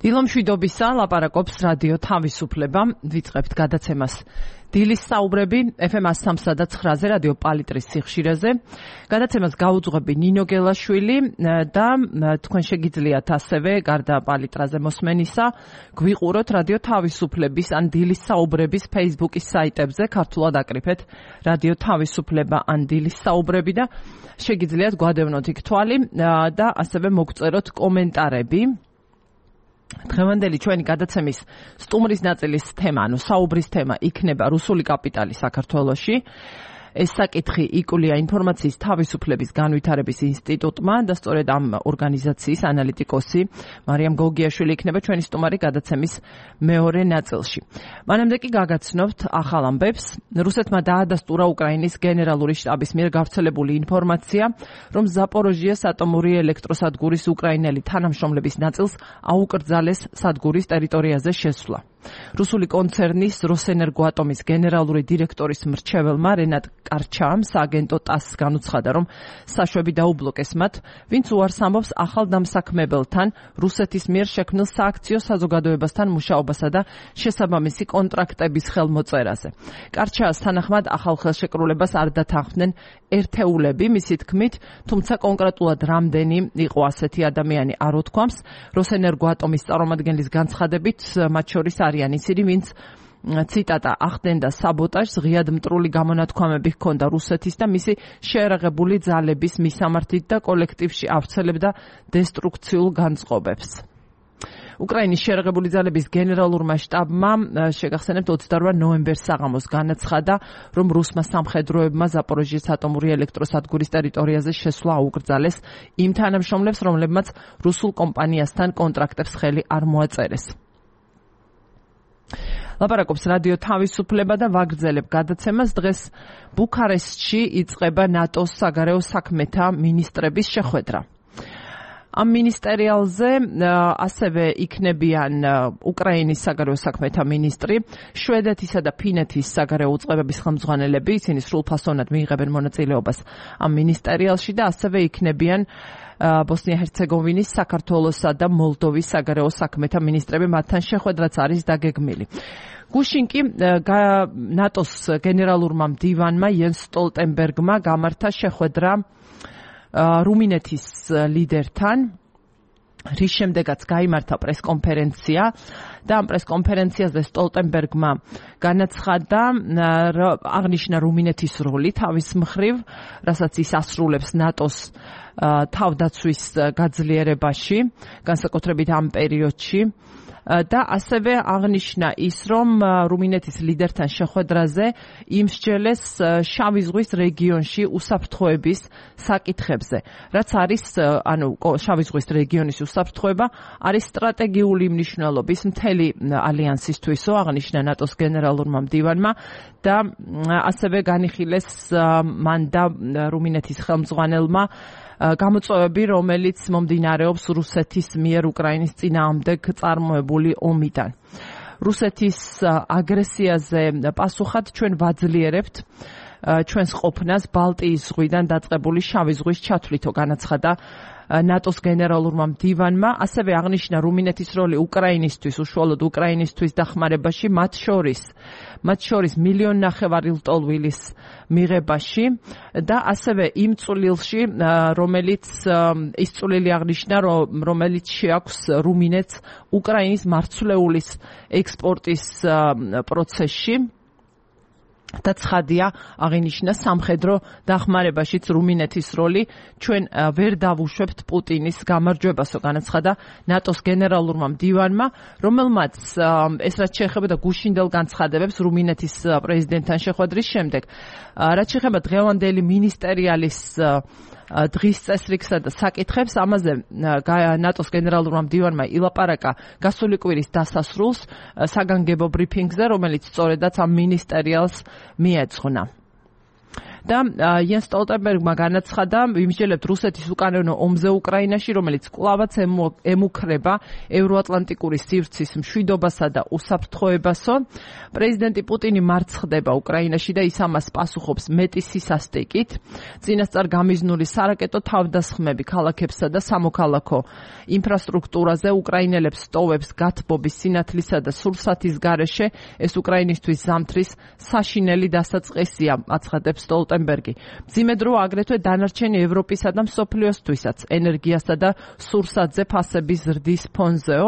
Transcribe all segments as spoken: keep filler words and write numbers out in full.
დილომშვიდობისა, ლაპარაკობს რადიო თავისუფლება, ვიწყებთ გადაცემას დილის საუბრები ეფ ემ one oh three და nine-ზე რადიო პალიტრის სიხშირეზე. გადაცემას გაუძღვები ნინო გელაშვილი და თქვენ შეგიძლიათ ასევე გარდა პალიტრაზე მოსმენისა გვიყუროთ რადიო თავისუფლების ან დილის საუბრების Facebook-ის საიტებზე, ქართულად აკრიფეთ რადიო თავისუფლება ან დილის საუბრები და შეგიძლიათ გვადევნოთ იქ თვალი და ასევე მოგწეროთ კომენტარები. დღევანდელი ჩვენი გადაცემის სტუმრის ნაწილის თემა, ანუ საუბრის თემა იქნება რუსული კაპიტალი საქართველოში. ეს საკითხი იკვლია ინფორმაციის თავისუფლების განვითარების ინსტიტუტმა და სწორედ ამ ორგანიზაციის ანალიტიკოსი მარიამ გოგიაშვილი იქნება ჩვენი სტუმარი გადაცემის მეორე ნაწილში. მანამდე კი გაგაცნობთ ახალ ამბებს. რუსეთმა დაადასტურა უკრაინის გენერალური შტაბის მიერ გავრცელებული ინფორმაცია, რომ ზაპოროჟიეს ატომური ელექტროსადგურის უკრაინელი თანამშრომლების ნაწილს აუკრძალეს სადგურის ტერიტორიაზე შესვლა. რუსული კონცერნის როსენერგოატომის გენერალური დირექტორის მრჩეველმა რენატ კარჩამ სააგენტო ტასს განუცხადა, რომ საშვები დაუბლოკეს მათ, ვინც უარს ამბობს ახალ დამსაქმებელთან რუსეთის მიერ შექმნილ სააქციო საზოგადოებასთან მუშაობასა და შესაბამისი კონტრაქტების ხელმოწერაზე. კარჩას თანახმად ახალ ხელშეკრულებას არ დათანხმდნენ ერთეულები, მისი თქმით, თუმცა კონკრეტულად რამდენი იყო ასეთი ადამიანი არ უთქვამს. როსენერგოატომის წარმომადგენლის განცხადებით, მათ შორის არიან ისინი, ვინც ციტატა ახდენდა საბოტაჟს, ღიად მტრული გამონათქვამები ჰქონდა რუსეთის და მისი შეერაღებული ძალების მისამართით და კოლექტივში ავრცელებდა დესტრუქციულ განწყობებს. უკრაინის შეერაღებული ძალების გენერალურმა შტაბმა შეგახსენებთ ოცდაორ ნოემბერს საღამოს განაცხადა, რომ რუსმა სამხედროებმა ზაპოროჟიეს ატომური ელექტროსადგურის ტერიტორიაზე შესვლა აუკრძალეს იმ თანამშრომლებს, რომლებმაც რუსულ კომპანიასთან კონტრაქტებს ხელი არ მოაწერეს. ლაპარაკობს რადიო თავისუფლება და ვაგრძელებ გადაცემას. დღეს ბუქარესტში იწყება ნატოს საგარეო საქმეთა მინისტრების შეხვედრა. ამ მინისტერიალზე ასევე იქნებიან უკრაინის საგარეო საქმეთა მინისტრი, შვედეთისა და ფინეთის საგარეო უწყებების ხელმძღვანელები, ისინი სრულფასოვნად მიიღებენ მონაწილეობას ამ მინისტერიალში და ასევე იქნებიან ბოსნია-ჰერცეგოვინის, საქართველოსა და მოლდოვის საგარეო საქმეთა მინისტრები, მათთან შეხვედრაც არის დაგეგმილი. გუშინ კი ნატოს გენერალურმა მდივანმა იენს სტოლტენბერგმა გამართა შეხვედრა რუმინეთის ლიდერთან, რის შემდეგაც გაიმართა პრესკონფერენცია და ამ პრესკონფერენციაზე სტოლტენბერგმა განაცხადა, აღნიშნა რუმინეთის როლი თავის მხრივ, რასაც ის ასრულებს ნატოს თავდაცვის გაძლიერებაში, განსაკუთრებით ამ პერიოდში. და ასევე აღნიშნა ის, რომ რუმინეთის ლიდერთან შეხვედრაზე იმსჯელეს შავი ზღვის რეგიონში უსაფრთხოების საკითხებზე. რაც არის, ანუ შავი ზღვის რეგიონის უსაფრთხოება არის სტრატეგიული მნიშვნელობის მთელი ალიანსისთვისო, აღნიშნა ნატოს გენერალურმა მდივანმა და ასევე განიხილეს მან და რუმინეთის ხელმძღვანელმა გამოწვევები, რომელიც მომდინარეობს რუსეთის მიერ უკრაინის წინააღმდეგ წარმოებული ომიდან. რუსეთის აგრესიაზე პასუხად ჩვენ ვაძლიერებთ ჩვენს ყოფნას ბალტიის ზღვიდან დაწყებული შავი ზღვის ჩათვლითო, განაცხადა ნატოს გენერალურმა მდივანმა. ასევე აღნიშნა რუმინეთის როლი უკრაინისთვის, უშუალოდ უკრაინისთვის დახმარებაში, მათ შორის მათ შორის მილიონ ნახევარი ლტოლვილის მიღებაში და ასევე იმ წვლილში, რომელიც ის წვლილი აღნიშნა, რომელიც შეაქვს რუმინეთს უკრაინის მარცვლეულის ექსპორტის პროცესში. და ცხადია აღინიშნა სამხედრო დახმარებაშიც რუმინეთის როლი. ჩვენ ვერ დავუშვებთ პუტინის გამარჯვებასო, განაცხადა ნატოს გენერალურმა მდივანმა, რომელმაც ეს რაც შეეხება გუშინდელ განცხადებებს რუმინეთის პრეზიდენტთან შეხვედრის შემდეგ. რაც შეეხება დღევანდელი მინისტერიალის დღის წესრიგსა და საკითხებს, ამაზე ნატოს გენერალურმა მდივანმა ილაპარაკა გასული კვირის დასასრულს საგანგებო ბრიფინგზე, რომელიც სწორედაც ამ მინისტერიალს მიეძღვნა. და იენს სტოლტენბერგმა განაცხადა, ვიმსჯელებთ რუსეთის უკანონო ომზე უკრაინაში, რომელიც კვლავაც ემუქრება ევროატლანტიკური სივრცის მშვიდობასა და უსაფრთხოებასო. პრეზიდენტი პუტინი მარცხდება უკრაინაში და ის ამას პასუხობს მეტი სისასტიკით. წინასწარ გამიზნული სარაკეტო თავდასხმები ქალაქებსა და სამოქალაქო ინფრასტრუქტურაზე უკრაინელებს სტოვებს გათბობის სინათლისა და სურსათის გარეშე. ეს უკრაინისთვის ზამთრის საშინელი დასაწყისია, აცხადებს სტოლტენბერგი. მძიმე დრო აგრეთვე დანარჩენი ევროპისა და მსოფლიოსთვისაც ენერგიასა და სურსათზე ფასების ზრდის ფონზეო.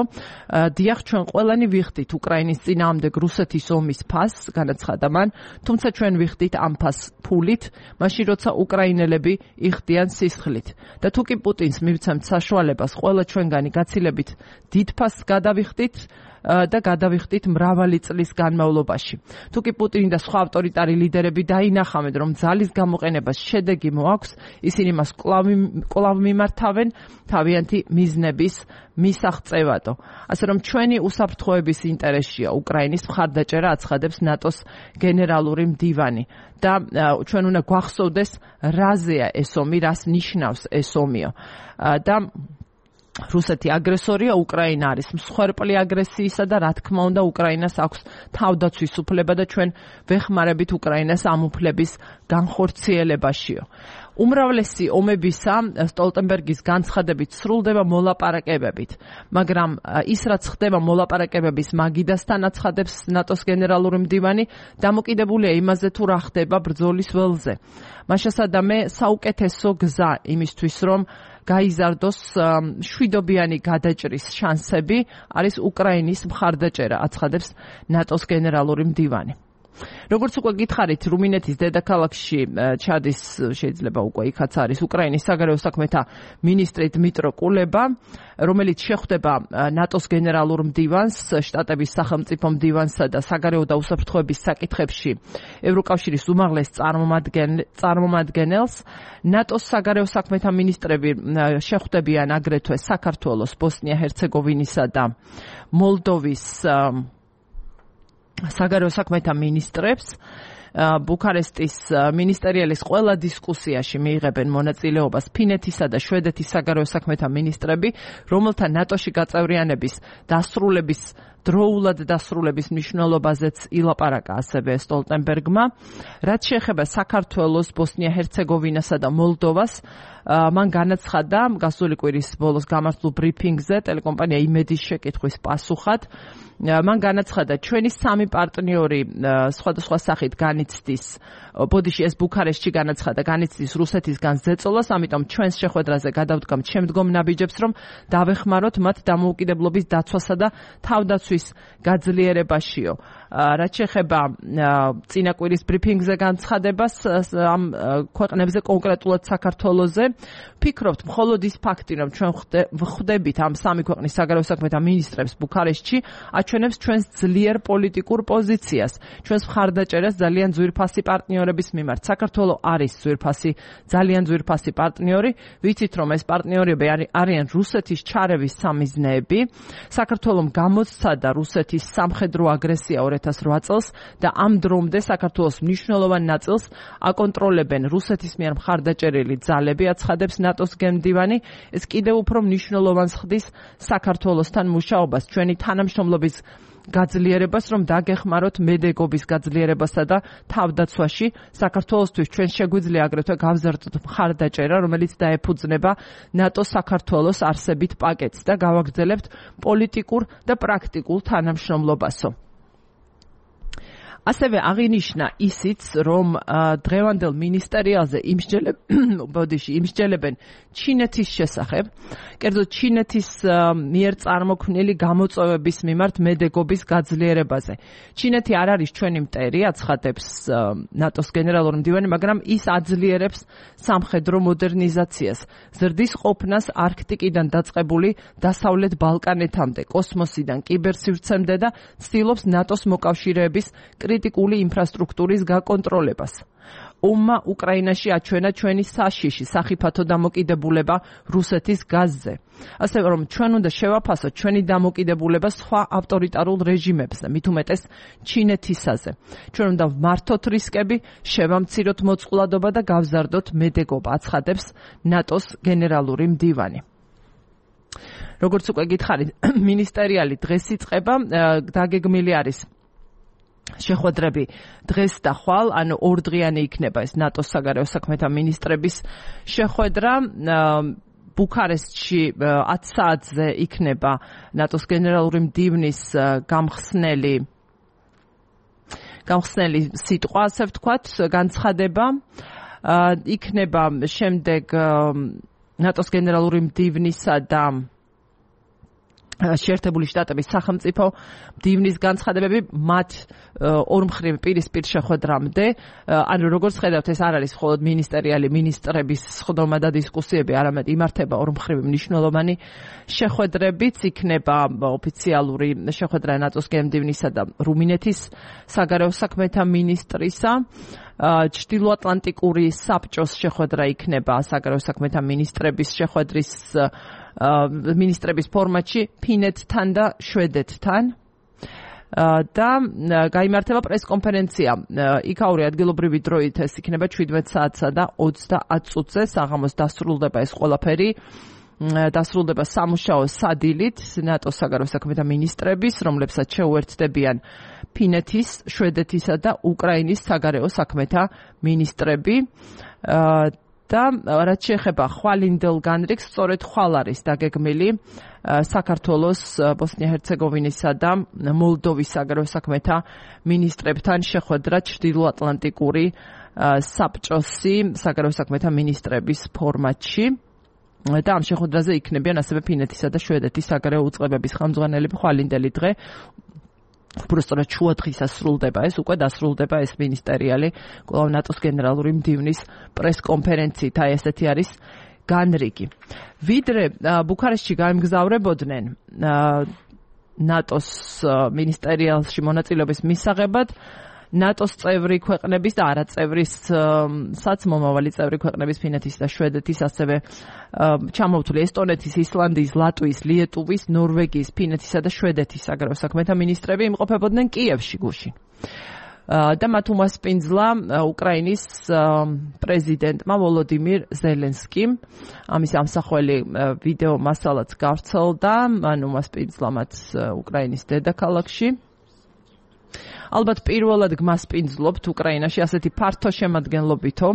დიახ, ჩვენ ყველანი ვიხდით უკრაინის წინააღმდეგ რუსეთის ომის ფასს, განაცხადა მან, თუმცა ჩვენ ვიხდით ამ ფასს ფულით, მაშინ როცა უკრაინელები იხდიან სისხლით. და თუ კი პუტინს მივცემთ საშუალებას, ყველა ჩვენგანი გაცილებით დიდ ფასს გადავიხდით და გადავიხდით მრავალი წლის განმავლობაში. თუ კი პუტინი და სხვა ავტორიტარი ლიდერები დაინახავენ, რომ ძალის გამოყენებას შედეგი მოაქვს, ისინი მას კვლავ მიმართავენ თავიანთი მიზნების მისაღწევადო. ასე რომ ჩვენი უსაფრთხოების ინტერესია უკრაინის მხარდაჭერა, აცხადებს ნატოს გენერალური მდივანი. და ჩვენ უნდა გვახსოვდეს, რაზეა ეს ომი, რას ნიშნავს ეს ომიო. და რუსეთი აგრესორია, უკრაინა არის მსხვერპლი აგრესიისა და რა თქმა უნდა უკრაინას აქვს თავდაცვის უფლება და ჩვენ ვეხმარებით უკრაინას ამ უფლების განხორციელებაშიო. უმრავლესი ომებისა სტოლტენბერგის განცხადებით სრულდება მოლაპარაკებებით, მაგრამ ის რაც ხდება მოლაპარაკებების მაგიდასთან, აცხადებს ნატოს გენერალური მდივანი, დამოკიდებულია იმაზე თუ რა ხდება ბრძოლის ველზე. მაშასადამე საუკეთესო გზა იმისთვის, რომ გაიზარდოს შვიდობიანი გადაჭრის შანსები არის უკრაინის მხარდაჭერა, აცხადებს ნატოს გენერალური მდივანი. როგორც უკვე გითხარით, რუმინეთის დედაქალაქში ჩადის, შეიძლება უკვე იქაც არის უკრაინის საგარეო საქმეთა მინისტრი დმიტრო კულება, რომელიც შეხვდება ნატოს გენერალურ მდივანს, შტატების სახელმწიფო მდივანსა და საგარეო და უსაფრთხოების საკითხებში ევროკავშირის უმაღლეს წარმომადგენელს. ნატოს საგარეო საქმეთა მინისტრები შეხვდებიან აგრეთვე საქართველოს, ბოსნია-ჰერცეგოვინისა და მოლდოვის საგარეო საქმეთა მინისტრებს. ბუქარესტის მინისტერიალის ყველა დისკუსიაში მიიღებენ მონაწილეობას ფინეთისა და შვედეთის საგარეო საქმეთა მინისტრები, რომელთა ნატოში გაწევრიანების დასრულების დროულად დასრულების მნიშვნელობაზეც ილაპარაკა ასევე სტოლტენბერგმა. რაც შეეხება საქართველოს, ბოსნია-ჰერცეგოვინასა და მოლდოვას, მან განაცხადა გასული კვირის ბოლოს გამართულ ბრიფინგზე ტელეკომპანია იმედის შეკითხვის პასუხად. მან განაცხადა, ჩვენი სამი პარტნიორი სხვადასხვა სახით განიცდის, ბოდიში ეს ბუქარესტში განაცხადა, განიცდის რუსეთისგან ზეწოლას, ამიტომ ჩვენს შეხვედრაზე გადავდგამთ შემდგომ ნაბიჯებს, რომ დავეხმაროთ მათ დამოუკიდებლობის დაცვასა და თავდაცვის გაძლიერებაშიო. რაც შეეხება წინა კვირის ბრიფინგზე განცხადებას ამ ქვეყნებზე, კონკრეტულად საქართველოზე, ვფიქრობთ, მხოლოდ ის ფაქტი, რომ ჩვენ ვხვდებით ამ სამი ქვეყნის საგარეო საქმეთა მინისტრებს ბუქარესტში, აჩვენებს ჩვენს ძლიერ პოლიტიკურ პოზიციას, ჩვენს მხარდაჭერას ძალიან ძვირფასი პარტნიორების მიმართ. საქართველო არის ძვირფასი, ძალიან ძვირფასი პარტნიორი. ვიცით, რომ ეს პარტნიორები არიან რუსეთის ჩარევის სამიზნეები. საქართველომ გამოსცადა რუსეთის სამხედრო აგრესია ორ ათას რვა წელს და ამ დრომდე საქართველოს მნიშვნელოვან ნაწილს აკონტროლებენ რუსეთის მიერ მხარდაჭერილი ძალები, აცხადებს ნატოს გენდივანი. ეს კიდევ უფრო მნიშვნელოვანს ხდის საქართველოსთან მუშაობას, ჩვენი თანამშრომლობის გაძლიერებას, რომ დაგეხმაროთ მედეგობის გაძლიერებასა და თავდაცვაში. საქართველოსთვის ჩვენ შეგვიძლია აგრეთვე გავზარდოთ მხარდაჭერა, რომელიც დაეფუძნება ნატოს საქართველოს არსებით პაკეტს და გავაგრძელებთ პოლიტიკურ და პრაქტიკულ თანამშრომლობასო. ასევე აღინიშნა ისიც, რომ დღევანდელ მინისტერიალზე იმსჯელებენ ჩინეთის შესახებ, კერძოდ ჩინეთის მიერ წარმოქმნილი გამოწვევების მიმართ მედეგობის გაძლიერებაზე. ჩინეთი არ არის ჩვენი მტერი, აცხადებს ნატოს გენერალური მდივანი, მაგრამ ის აძლიერებს სამხედრო მოდერნიზაციას, ზრდის ყოფნას არქტიკიდან დაწყებული დასავლეთ ბალკანეთამდე, კოსმოსიდან კიბერსივრცემდე და ცდილობს ნატოს მოკავშირეების კრიტიკული ინფრასტრუქტურის გაკონტროლებას. ომმა უკრაინაში აჩვენა ჩვენი საშიში სახიფათო დამოკიდებულება რუსეთის გაზზე. ასევე რომ ჩვენ უნდა შევაფასოთ ჩვენი დამოკიდებულება სხვა ავტორიტარულ რეჟიმებზე, მით უმეტეს ჩინეთისაზე. ჩვენ უნდა ვმართოთ რისკები, შევამციროთ მოწყვლადობა და გავზარდოთ მედეგობა, აცხადებს ნატოს გენერალური მდივანი. როგორც უკვე გითხარით, მინისტერიალი დღეს იწყება, დაგეგმილი არის შეხვედრები დღეს და ხვალ, ანუ ორდღიანი იქნება ეს ნატოს საგარეო საქმეთა მინისტრების შეხვედრა. ბუქარესტში ათ საათზე იქნება ნატოს გენერალური მდივნის გამხსნელი გამხსნელი სიტყვა, ასე ვთქვათ, განცხადება. იქნება შემდეგ ნატოს გენერალური მდივნისა და შეერთებული შტატების სახელმწიფო მდივნის განცხადებები მათ ორმხრივ პირისპირ შეხვედრამდე. ანუ როგორც ხედავთ, ეს არ არის მხოლოდ მინისტერიალი მინისტრების სხდომა და დისკუსიები, არამედ იმართება ორმხრივი მნიშვნელოვანი შეხვედრებიც. იქნება ოფიციალური შეხვედრა ნატოს გენმდივნისა და რუმინეთის საგარეო საქმეთა მინისტრისა. ჩრდილოატლანტიკური საბჭოს შეხვედრა იქნება საგარეო საქმეთა მინისტრების შეხვედრის მინისტრების ფორმატში ფინეთთან და შვედეთთან და გაიმართება პრესკონფერენცია იქაური ადგილობრივი დროით ეს იქნება შვიდმეტ საათსა და ოცდაათ წუთზე საღამოს დასრულდება ეს ყველაფერი დასრულდება სამუშაო სადილით ნატოს საგარეო საქმეთა მინისტრების, რომლებსაც შეუერთდებიან ფინეთის, შვედეთისა და უკრაინის საგარეო საქმეთა მინისტრები. და რაც შეეხება ხვალინდელ განრიგს, სწორედ ხვალ არის დაგეგმილი საქართველოს, ბოსნია-ჰერცეგოვინისა და მოლდოვის საგარეო საქმეთა მინისტრებთან შეხვედრა ჩრდილოატლანტიკური საბჭოსი საგარეო საქმეთა მინისტრების ფორმატში. და ამ შეხვედრაზე იქნებიან ასევე ფინეთისა და შვედეთის საგარეო უწყებების ხელმძღვანელები. ხვალინდელი დღე უბრალოდ შუადღისას სრულდება ეს, უკვე დასრულდება ეს მინისტერიალი კვლავ ნატოს გენერალური მდივნის პრესკონფერენციით. აი ესეთი არის განრიგი. ვიდრე ბუქარესტში გამგზავრებოდნენ ნატოს მინისტერიალში მონაწილეობის მისაღებად, ნატოს წევრი ქვეყნების და არაწევრისაც მომავალი წევრი ქვეყნების ფინეთის და შვედეთის, ასევე ჩამოვთვლი ესტონეთის, ისლანდიის, ლატვიის, ლიეტუვის, ნორვეგიის, ფინეთისა და შვედეთის საგარეო საქმეთა მინისტრები იმყოფებოდნენ კიევში გუშინ. და მათ უმასპინძლა უკრაინის პრეზიდენტმა ვოლოდიმირ ზელენსკიმ. ამის ამსახველი ვიდეო მასალაც გავრცელდა, მან უმასპინძლა მათ უკრაინის დედაქალაქში. ალბათ პირველად გმასპინძლობთ უკრაინაში ასეთი ფართო შემადგენლობითო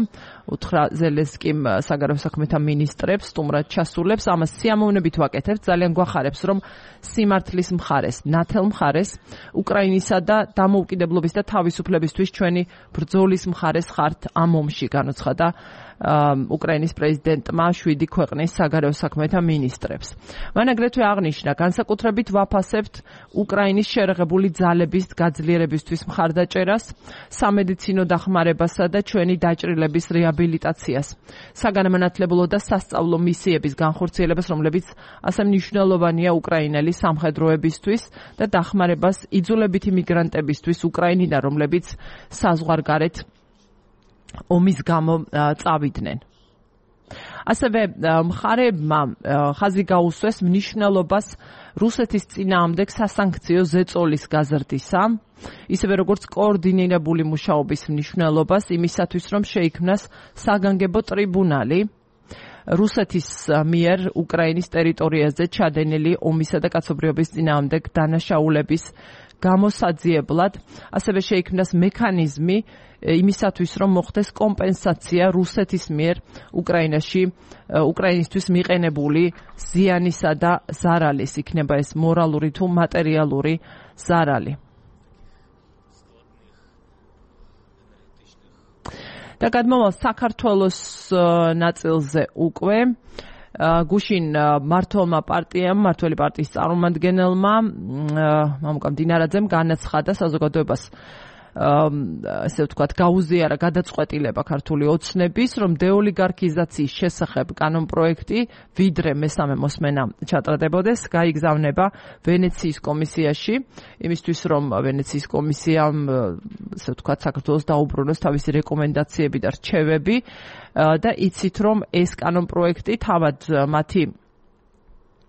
უთხრა ზელენსკიმ საგარეო საქმეთა მინისტრებს სტუმრად ჩასულებს. ამას სიამოვნებით ვაკეთებთ, ძალიან გვახარებს, რომ სიმართლის მხარეს, ნათელ მხარეს, უკრაინისა და დამოუკიდებლობის და თავისუფლებისთვის ჩვენი ბრძოლის მხარეს ხართ ამ ომში, განუცხადა უკრაინის პრეზიდენტმა შვიდი ქვეყნის საგარეო საქმეთა მინისტრებს. მან აგრეთვე აღნიშნა, განსაკუთრებით ვაფასებთ უკრაინის შერეღებული ძალების გაძლიერებისთვის მხარდაჭერას, სამედიცინო დახმარებასა და ჩვენი დაჭრილების რეაბილიტაციას, საგანმანათლებლო და სასწავლო მისიების განხორციელებას, რომლებიც ასე მნიშვნელოვანია უკრაინელი სამხედროებისთვის და დახმარებას იძულებითი მიგრანტებისთვის უკრაინიდან, რომლებიც საზღვარგარეთ ომის გამო წავიდნენ. ასევე მხარეებმა ხაზი გაუსვეს მნიშვნელობას რუსეთის წინააღმდეგ სასანქციო ზეწოლის გაზრდისა, ისევე როგორც კოორდინირებული მუშაობის მნიშვნელობას იმისათვის, რომ შეიქმნას საგანგებო ტრიბუნალი რუსეთის მიერ უკრაინის ტერიტორიაზე ჩადენილი ომისა და კაცობრიობის წინააღმდეგ დანაშაულების გამოსაძიებლად, ასევე შეიქმნას მექანიზმი იმისათვის, რომ მოხდეს კომპენსაცია რუსეთის მიერ უკრაინაში უკრაინისთვის მიყენებული ზიანისა და ზარალის, იქნება ეს მორალური თუ მატერიალური ზარალი. და გადმოვალ საქართველოს ნაწილზე უკვე გუშინ მართლმა პარტიამ, მართველი პარტიის წარმომადგენელმა მამუკა მდინარაძემ განაცხადა საზოგადოებას ასე ვთქვათ, გაუზიარა გადაწყვეტილება ქართული ოცნების, რომ დეოლიგარქიზაციის შესახებ კანონპროექტი, ვიდრე მესამე მოსმენა ჩატრდებოდეს, გაიგზავნება ვენეციის კომისიაში, იმისთვის რომ ვენეციის კომისიამ, ასე ვთქვათ, საქართველოს დაუბრუნოს თავისი რეკომენდაციები და რჩევები და იცით რომ ეს კანონპროექტი თავად მათი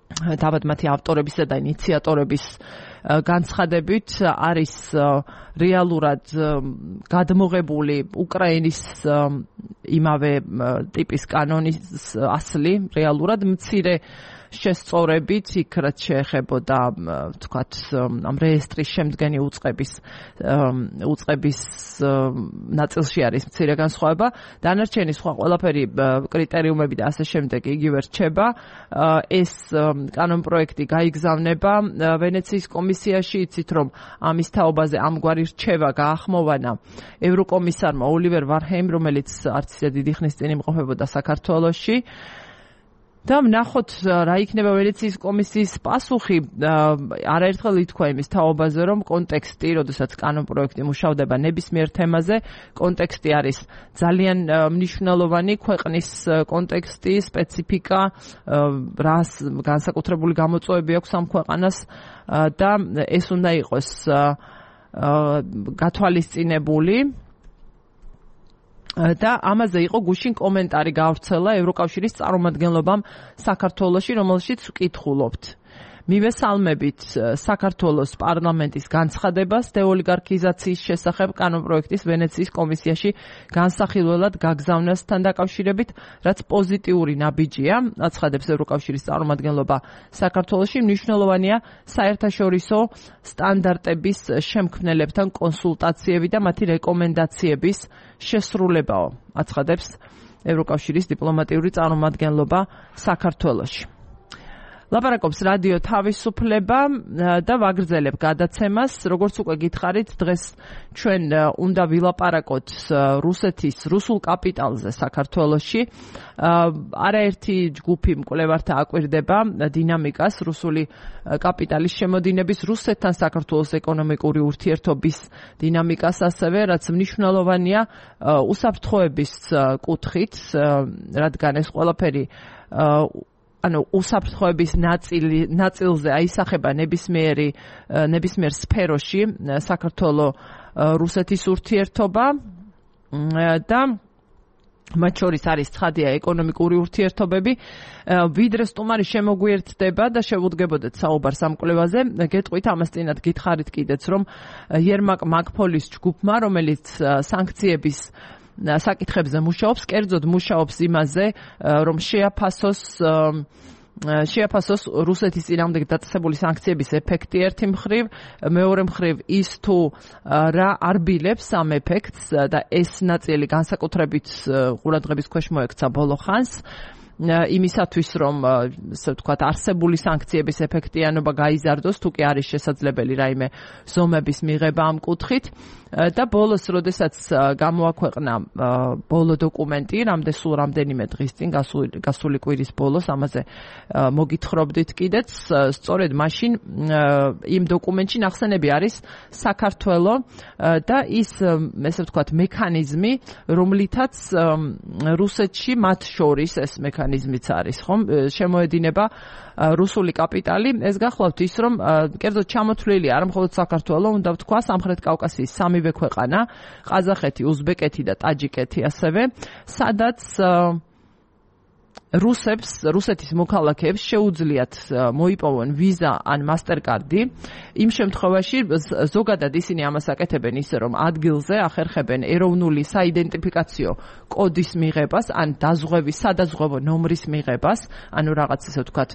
თავად მათი ავტორებისა და ინიციატორების განცხადებით არის რეალურად გადმოღებული უკრაინის იმავე ტიპის კანონის ასლი, რეალურად მცირე შესწორებით, იქ რაც შეეხებოდა ვთქვათ ამ რეესტრის შემდგენი უწყების უწყების ნაწილში არის მცირე განსხვავება, დანარჩენი სხვა ყველაფერი კრიტერიუმები და ასე შემდეგ იგივე რჩება. ეს კანონპროექტი გაიგზავნება ვენეციის კომისიაში, იცით რომ ამის თაობაზე ამგვარი რჩევა გაახმოვანა ევროკომისარმა ოლივერ ვარჰეიმ, რომელიც არც ისე დიდი ხნის წინ იმყოფებოდა საქართველოში. და ვნახოთ რა იქნება ვენეციის კომისიის პასუხი. არაერთხელ ითქვა იმის თაობაზე, რომ კონტექსტი, როდესაც კანონპროექტი მუშავდება ნებისმიერ თემაზე, კონტექსტი არის ძალიან მნიშვნელოვანი, ქვეყნის კონტექსტი, სპეციფიკა, რას განსაკუთრებული გამოწვევები აქვს ამ ქვეყანას და ეს უნდა იყოს გათვალისწინებული. და ამაზე იყო გუშინ კომენტარი გავრცელა ევროკავშირის წარმომადგენლობამ საქართველოში, რომელშიც ვკითხულობთ. მივესალმებით საქართველოს პარლამენტის განცხადებას დეოლიგარქიზაციის შესახებ კანონპროექტის ვენეციის კომისიაში განსახილველად გაგზავნასთან დაკავშირებით, რაც პოზიტიური ნაბიჯია, აცხადებს ევროკავშირის წარმომადგენლობა საქართველოში, მნიშვნელოვანია საერთაშორისო სტანდარტების შემქმნელებთან კონსულტაციები და მათი რეკომენდაციების შესრულებაო, აცხადებს ევროკავშირის დიპლომატიური წარმომადგენლობა საქართველოში. ლაპარაკობს რადიო თავისუფლება და ვაგრძელებ გადაცემას. როგორც უკვე გითხარით, დღეს ჩვენ უნდა ვილაპარაკოთ რუსეთის რუსულ კაპიტალზე საქართველოში. არაერთი ჯგუფი მკვლევართა აკვირდება დინამიკას რუსული კაპიტალის შემოდინების, რუსეთთან საქართველოს ეკონომიკური ურთიერთობის დინამიკას ასევე, რაც მნიშვნელოვანია უსაფრთხოების კუთხით, რადგან ეს ყველაფერი ანუ უსაფრთხოების ნაწილი ნაწილზე აისახება ნებისმიერი ნებისმიერ სფეროში საქართველოს რუსეთის ურთიერთობა და მათ შორის არის ცხადია ეკონომიკური ურთიერთობები. ვიდრე სტუმარი შემოგვიერთდება და შევუდგებოდეთ საუბარს ამ კვლევაზე, გეტყვით ამას წინათ გითხარით კიდეც, რომ იერმაკ მაკფოლის ჯგუფმა, რომელიც სანქციების საკითხებზე მუშაობს, კერძოდ მუშაობს იმაზე, რომ შეაფასოს შეაფასოს რუსეთის წინააღმდეგ დაწესებული სანქციების ეფექტი ერთი მხრივ, მეორე მხრივ ის თუ რა არბილებს ამ ეფექტს და ეს ნაწილი განსაკუთრებით ყურადღების ქვეშ მოექცა ბოლო ხანს. იმისათვის რომ ასე ვთქვათ არსებული სანქციების ეფექტიანობა გაიზარდოს, თუ კი არის შესაძლებელი რაიმე ზომების მიღება ამ კუთხით და ბოლოს, როდესაც გამოაქვეყნა ბოლო დოკუმენტი, რამდენ სულ რამდენიმე დღის წინ, გასული კვირის ბოლოს, ამაზე მოგითხრობდით კიდეც, სწორედ მაშინ იმ დოკუმენტში ნახსენები არის საქართველო და ის, ესე ვთქვათ, მექანიზმი, რომლითაც რუსეთში მათ შორის ეს მექანიზმიც არის, ხომ, შემოედინება რუსული კაპიტალი. ეს გახლავთ ის, რომ კერძოდ ჩამოთვლილი არა მხოლოდ საქართველო, უნდა ვთქვა სამხრეთ კავკასიის სამივე ქვეყანა, ყაზახეთი, უზბეკეთი და ტაჯიკეთი ასევე, სადაც რუსებს, რუსეთის მოქალაქეებს შეუძლიათ მოიპოვონ ვიზა ან მასტერკარდი. იმ შემთხვევაში ზოგადად ისინი ამას აკეთებენ ისე, რომ ადგილზე ახერხებენ ეროვნული საიდენტიფიკაციო კოდის მიღებას ან დაზღვევის, სადაზღვევო ნომრის მიღებას, ანუ რაღაც ისე ვთქვათ,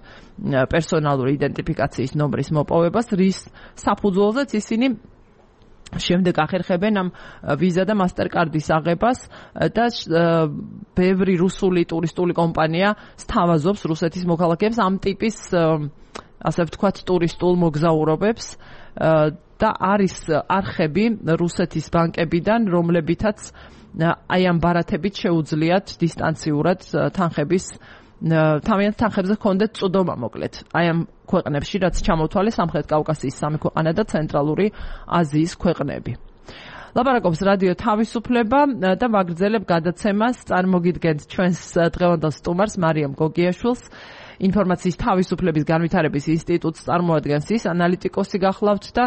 პერსონალური იდენტიფიკაციის ნომრის მოპოვებას, რის საფუძველზეც ისინი შემდეგ ახერხებენ ამ ვიზა და მასტერკარდის აღებას და ბევრი რუსული ტურისტული კომპანია სთავაზობს რუსეთის მოქალაქეებს ამ ტიპის, ასე ვთქვათ, ტურისტულ მოგზაურობებს და არის არხები რუსეთის ბანკებიდან, რომლებითაც აი ამ ბარათებით შეუძლიათ დისტანციურად თანხების თავიანთ თანხებზე ჰქონდეთ წვდომა, მოკლედ. აი ამ ქვეყნებში, რაც ჩამოთვალეს სამხრეთ კავკასიის სამი ქვეყანა და ცენტრალური აზიის ქვეყნები. ლაპარაკობს რადიო თავისუფლება და ვაგრძელებ გადაცემას. წარმოგიდგენთ ჩვენს დღევანდელ სტუმარს მარიამ გოგიაშვილს. ინფორმაციის თავისუფლების განვითარების ინსტიტუტს წარმოადგენს ის, ანალიტიკოსი გახლავთ და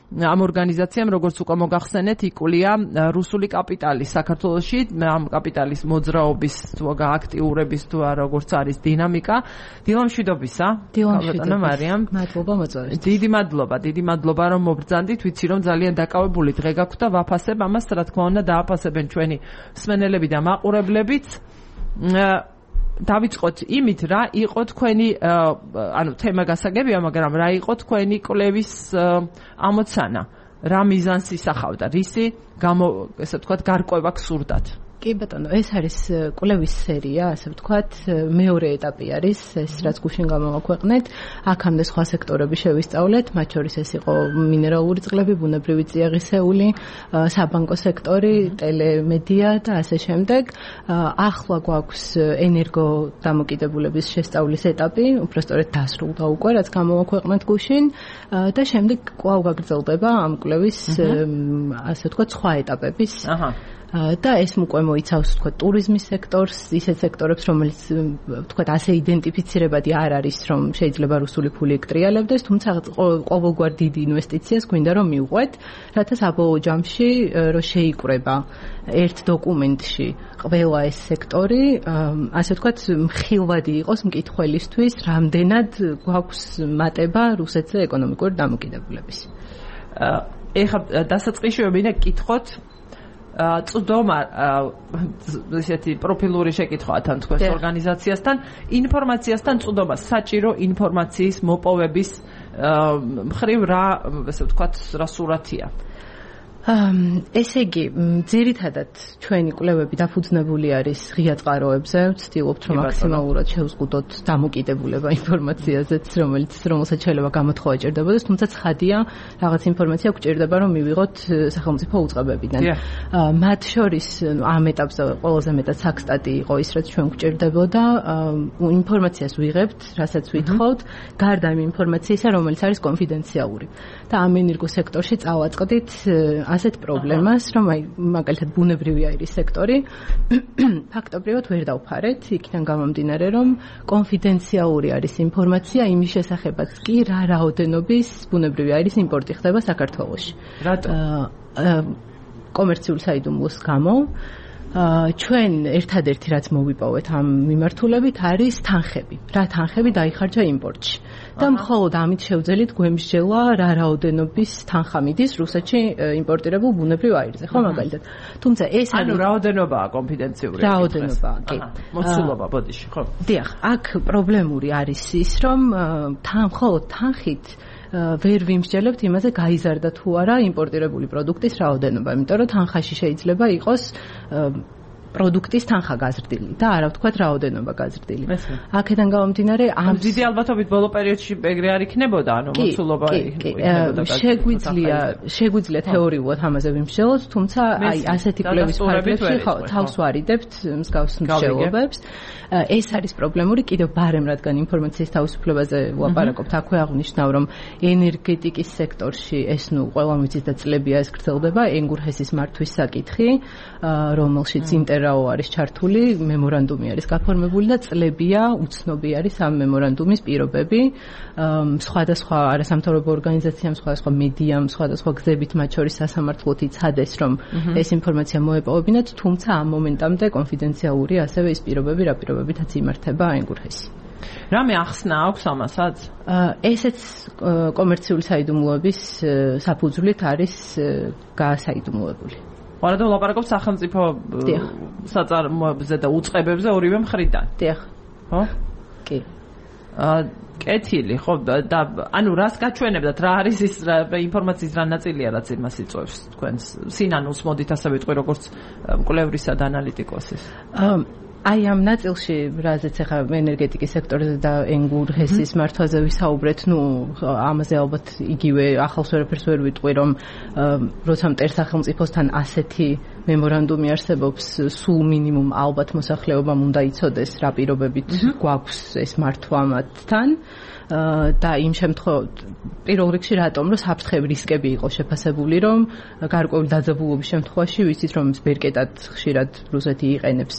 ამ ორგანიზაციამ, როგორც უკვე მოგახსენეთ, იკვლია რუსული კაპიტალის საქართველოში, ამ კაპიტალის მოძრაობის თუ გააქტიურების თუ როგორც არის დინამიკა. დილამშვიდობისა. დილამშვიდობა მარიამ. მადლობა მოწვევით. დიდი მადლობა, დიდი მადლობა რომ მობრძანდით. ვიცი რომ ძალიან დაკავებული დღე გაქვთ და ვაფასებ ამას, რა თქმა უნდა, დააფასებენ ჩვენი მსმენელები და მაყურებლებიც. დავიწყოთ იმით, რა იყო თქვენი, ანუ თემა გასაგებია, მაგრამ რა იყო თქვენი კვლევის ამოცანა? რა მიზანს ისახავდა? რისი გამო, ესე ვთქვათ, გარკვევა გსურდათ? კი ბატონო, ეს არის კვლევის სერია, ასე ვთქვათ, მეორე ეტაპი არის, ეს რაც გუშინ გამოვაქვეყნეთ. აქამდე სხვა სექტორები შევისწავლეთ, მათ შორის ეს იყო მინერალური წყლები, ბუნებრივი წიაღისეული, საბანკო სექტორი, ტელემედია და ასე შემდეგ. ახლა გვაქვს ენერგო დამოკიდებულების შესწავლის ეტაპი, უბრალოდ დასრულდა უკვე, რაც გამოვაქვეყნეთ გუშინ და შემდეგ კვლავ გაგრძელდება ამ კვლევის, ასე ვთქვათ, სხვა ეტაპების. აჰა. და ეს უკვე მოიცავს თქვა ტურიზმის სექტორს, ისეთ სექტორებს, რომელიც თქვა ასე იდენტიფიცირებადი არ არის, რომ შეიძლება რუსული ფული ეკტრიალებდეს, თუმცა ყოველგვარ დიდი ინვესტიციას გვინდა რომ მიუყვეთ, რათა საბოლოო ჯამში რომ შეიკრება ერთ დოკუმენტში ყველა ეს სექტორი, ასე ვთქვათ, მხილვადი იყოს მკითხველისთვის, რამდენად გვაქვს მატება რუსეთზე ეკონომიკური დამოკიდებულების. ეხლა დასაწყისში მინდა გკითხოთ წვდომა ესეთი პროფილური შეკითხვაა თან თქვენს ორგანიზაციასთან, ინფორმაციასთან წვდომა, საჭირო ინფორმაციის მოპოვების მხრივ რა, ესე ვთქვათ, რა სურათია? ესე იგი, ძირითადად ჩვენი კვლევები დაფუძნებული არის ღია წყაროებზე, ვცდილობთ რომ მაქსიმალურად შევზღუდოთ დამოკიდებულება ინფორმაციაზეც, რომელიც რომელსაც შეიძლება გამოთხოვა ჭირდებოდეს, თუმცა ცხადია, რაღაც ინფორმაცია გვჭირდება რომ მივიღოთ სახელმწიფო უწყებებიდან. მათ შორის ამ ეტაპზე ყველაზე მეტად საქსტატი იყო ის, რაც ჩვენ გვჭირდებოდა, ინფორმაციას ვიღებთ, რასაც ვითხოვთ, გარდა იმ ინფორმაციისა, რომელიც არის კონფიდენციალური. და ამ ენერგო სექტორში წავაწყდით ასეთ პრობლემას, რომ აი მაგალითად ბუნებრივი აირის სექტორი ფაქტობრივად ვერ დავფარეთ, იქიდან გამომდინარე, რომ კონფიდენციალური არის ინფორმაცია იმის შესახებაც კი, რა რაოდენობის ბუნებრივი აირის იმპორტი ხდება საქართველოში. რატო? კომერციულ საიდუმლოს გამო. ჩვენ ერთადერთი რაც მოვიპოვეთ ამ მიმართულებით არის თანხები. რა თანხები დაიხარჯა იმპორტში. და მხოლოდ ამით შევძელით გვემსჯელა რა რაოდენობის თანხა მიდის რუსეთში იმპორტირებულ ბუნებრივ აირზე, ხო მაგალითად. თუმცა ეს არის ანუ რაოდენობაა კონფიდენციური. რაოდენობაა, კი. მოცულობა ბოდიში, ხო? დიახ, აქ პრობლემური არის ის, რომ თან მხოლოდ თანხით ვერ ვიმსჯელებთ იმაზე გაიზარდა თუ არა იმპორტირებული პროდუქტის რაოდენობა, იმიტომ რომ თანხაში შეიძლება იყოს პროდუქტის თანხა გაზრდილი და არა ვთქვათ რაოდენობა გაზრდილი. აქედან გამომდინარე ამ დიდი ალბათობით ბოლო პერიოდში ეგრე არ იქნებოდა, ანუ მოცულობა იქნებოდა. შეგვიძლია შეგვიძლია თეორიულად ამაზე ვიმსჯელოთ, თუმცა აი ასეთი კვლევის ფარგლებში თავს ვარიდებთ მსგავს მსჯელობებს. ეს არის პრობლემური კიდევ ბარემ, რადგან ინფორმაციის თავისუფლებაზე ვლაპარაკობთ, აქვე აღნიშნავ, რომ ენერგეტიკის სექტორში ეს ნუ ყველამ ვიცით და წლებია ეს გრძელდება, ენგურჰესის მართვის საკითხი, რომელშიც ინტერაო არის ჩართული, მემორანდუმი არის გაფორმებული და წლებია, უცნობი არის ამ მემორანდუმის პირობები. სხვადასხვა არასამთავრობო ორგანიზაციამ, სხვადასხვა მედიამ, სხვადასხვა გზებით, მათ შორის სასამართლოთი იცადეს, რომ ეს ინფორმაცია მოეპოვებინათ, თუმცა ამ მომენტამდე კონფიდენციალური ასევე ის პირობები, რა პირობებითაც იმართება ენგურჰესი. რამე ახსნა აქვს ამასაც? ესეც კომერციული საიდუმლოების საფუძვლით არის გაასაიდუმლოებული. ვარადა ვლაპარაკობთ სახელმწიფო საწარმოებზე და უწყებებზე ორივე მხრიდან. დიახ. ხო? კი. კეთილი, ხო, და ანუ რას გაჩვენებდათ, რა არის ის ინფორმაციის რა ნაწილია, რაც იმას იწვევს თქვენს სინანულს, მოდით ასე ვიტყვი, როგორც მკვლევრისა და ანალიტიკოსის. აი ამ ნაწილში, რაზეც ახლა ენერგეტიკის სექტორზე და ენგურჰესის მართვაზე ვისაუბრეთ, ნუ ამაზე ალბათ იგივე ახალს ვერაფერს ვერ ვიტყვი, რომ როცა მტერ სახელმწიფოსთან ასეთი მემორანდუმი არსებობს, სულ მინიმუმ ალბათ მოსახლეობამ უნდა იცოდეს, რა პირობებით გვაქვს ეს მართვა მათთან. და იმ შემთხვევაში პირველ რიგში რატომ რომ საფრთხები რისკები იყო შეფასებული რომ გარკვეული დაძაბულობის შემთხვევაში ვიცით რომ ბერკეტად ხშირად რუსეთი იყენებს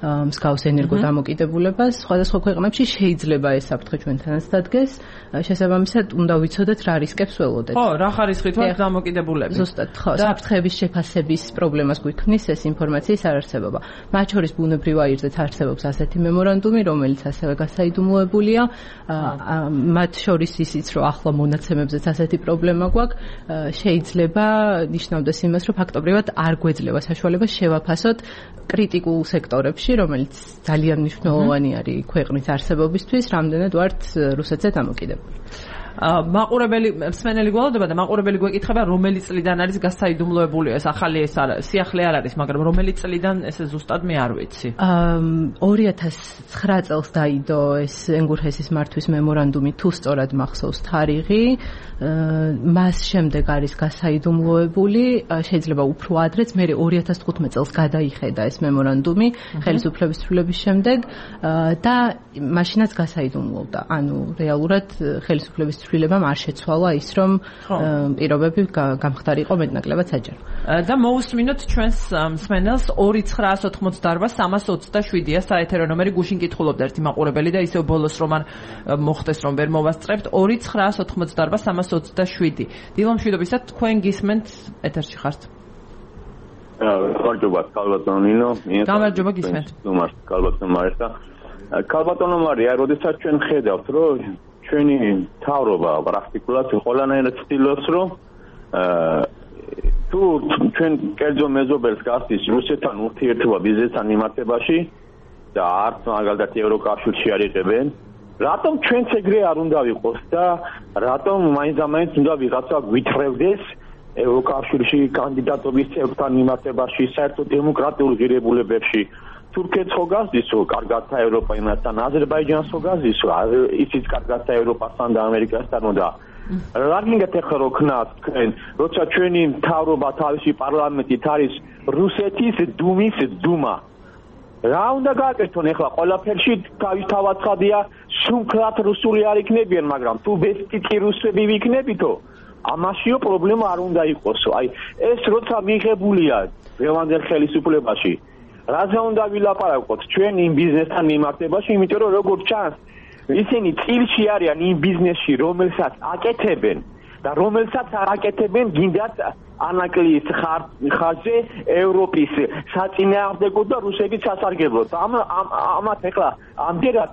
მსგავს ენერგოდამოკიდებულებას სხვადასხვა ქვეყნებში შეიძლება ეს საფრთხე ჩვენთანაც დადგეს შესაბამისად უნდა ვიცოდეთ რა რისკებს ველოდეთ ხო რა ხარისხით ვართ დამოკიდებულები ზუსტად ხო საფრთხების შეფასების პრობლემას გვიქმნის ეს ინფორმაციის არარსებობა მათ შორის ბუნებრივ აირზეც არსებობს ასეთი მემორანდუმი რომელიც ასევე გასაიდუმლოებულია მათ შორის ისიც რომ ახლა მონაცემებზეც ასეთი პრობლემა გვაქვს შეიძლება ნიშნავდეს იმას რომ ფაქტობრივად არ გვეძლევა საშუალება შევაფასოთ კრიტიკულ სექტორებში რომელიც ძალიან მნიშვნელოვანი არის ქვეყნის არსებობისთვის რამდენად ვართ რუსეთზე დამოკიდებული მაყურებელი მსმენელი გველოდება და მაყურებელი გვეკითხება რომელი წლიდან არის გასაიდუმლოებული ეს ახალი ეს სიახლე არ არის მაგრამ რომელი წლიდან ესე ზუსტად მე არ ვიცი ორი ათას ცხრა წელს დაიდო ეს ენგურჰესის მართვის მემორანდუმი თუ სწორად მახსოვს თარიღი მას შემდეგ არის გასაიდუმლოებული შეიძლება უფრო ადრეც მე ორი ათას თხუთმეტ წელს გადაიხედა ეს მემორანდუმი ხელისუფლების ცვლილების შემდეგ და მაშინაც გასაიდუმლოვდა ანუ რეალურად ხელისუფლების ცვლილებამ არ შეცვალა ის რომ პირობები გამხდარიყო მეტნაკლებად საჯარო. და მოусმინოთ ჩვენს მსმენელს ორი ცხრაას ოთხმოცდაორბა სამას ოცდაშვიდია საეთერო ნომერი გუშინ კითხულობდა ერთი მაყურებელი და ისევ ბოლოს რომ არ მოხდეს რომ ვერ მოვასწრებთ ორი ცხრაას ოთხმოცდაორბა სამას ოცდაშვიდი. დილო მშვიდობისა თქვენ გისმენთ ეთერში ხართ. გამარჯობა ქალბატონო ნინო. გამარჯობა გისმენთ. ნომარს ქალბატონო მართა. ქალბატონო მარია, როდესაც ჩვენ ხედავთ რომ ჩვენი თავრობა პრაქტიკულად ყველანაირად ცდილობს რომ თუ ჩვენ კერძო მეზობელს გასდის რუსეთთან ურთიერთობა ბიზნესთან მიმართებაში და არც მაგალითად ევროკავშირში არ იღებენ რატომ ჩვენც ეგრე არ უნდა ვიყოს და რატომ მაინც-ამაინც უნდა ვიღაცა გვითხრევდეს ევროკავშირში კანდიდატობის წევრთან მიმართებაში საერთოდ დემოკრატიულ ღირებულებებში თურქეთს ხო გასდისო კარგათა ევროპა იმასთან აზერბაიჯანს ხო გასდისო ისიც კარგათა ევროპასთან და ამერიკასთან და რა გინდათ ახლა რო ქნათ თქვენ როცა ჩვენი მთავრობა თავისი პარლამენტით არის რუსეთის დუმის დუმა რა უნდა გააკეთონ ახლა ყველაფერში თავისთავად ხადია სულქლად რუსული არ იქნებიან მაგრამ თუ ბესტიკი რუსები ვიქნებითო ამაშიო პრობლემა არ უნდა იყოსო აი ეს როცა მიღებულია რევანდელ ხელისუფლებაში რაზე უნდა ვილაპარაკოთ ჩვენ იმ ბიზნესთან მიმართებაში იმიტომ რომ როგორც ჩანს ისინი წილში არიან იმ ბიზნესში რომელსაც აკეთებენ და რომელსაც არ აკეთებენ გინდათ ანაკლის ხარჯზე ევროპის საწინააღმდეგო და რუსების სასარგებლოდ ამ ამათ ეხლა ამდენად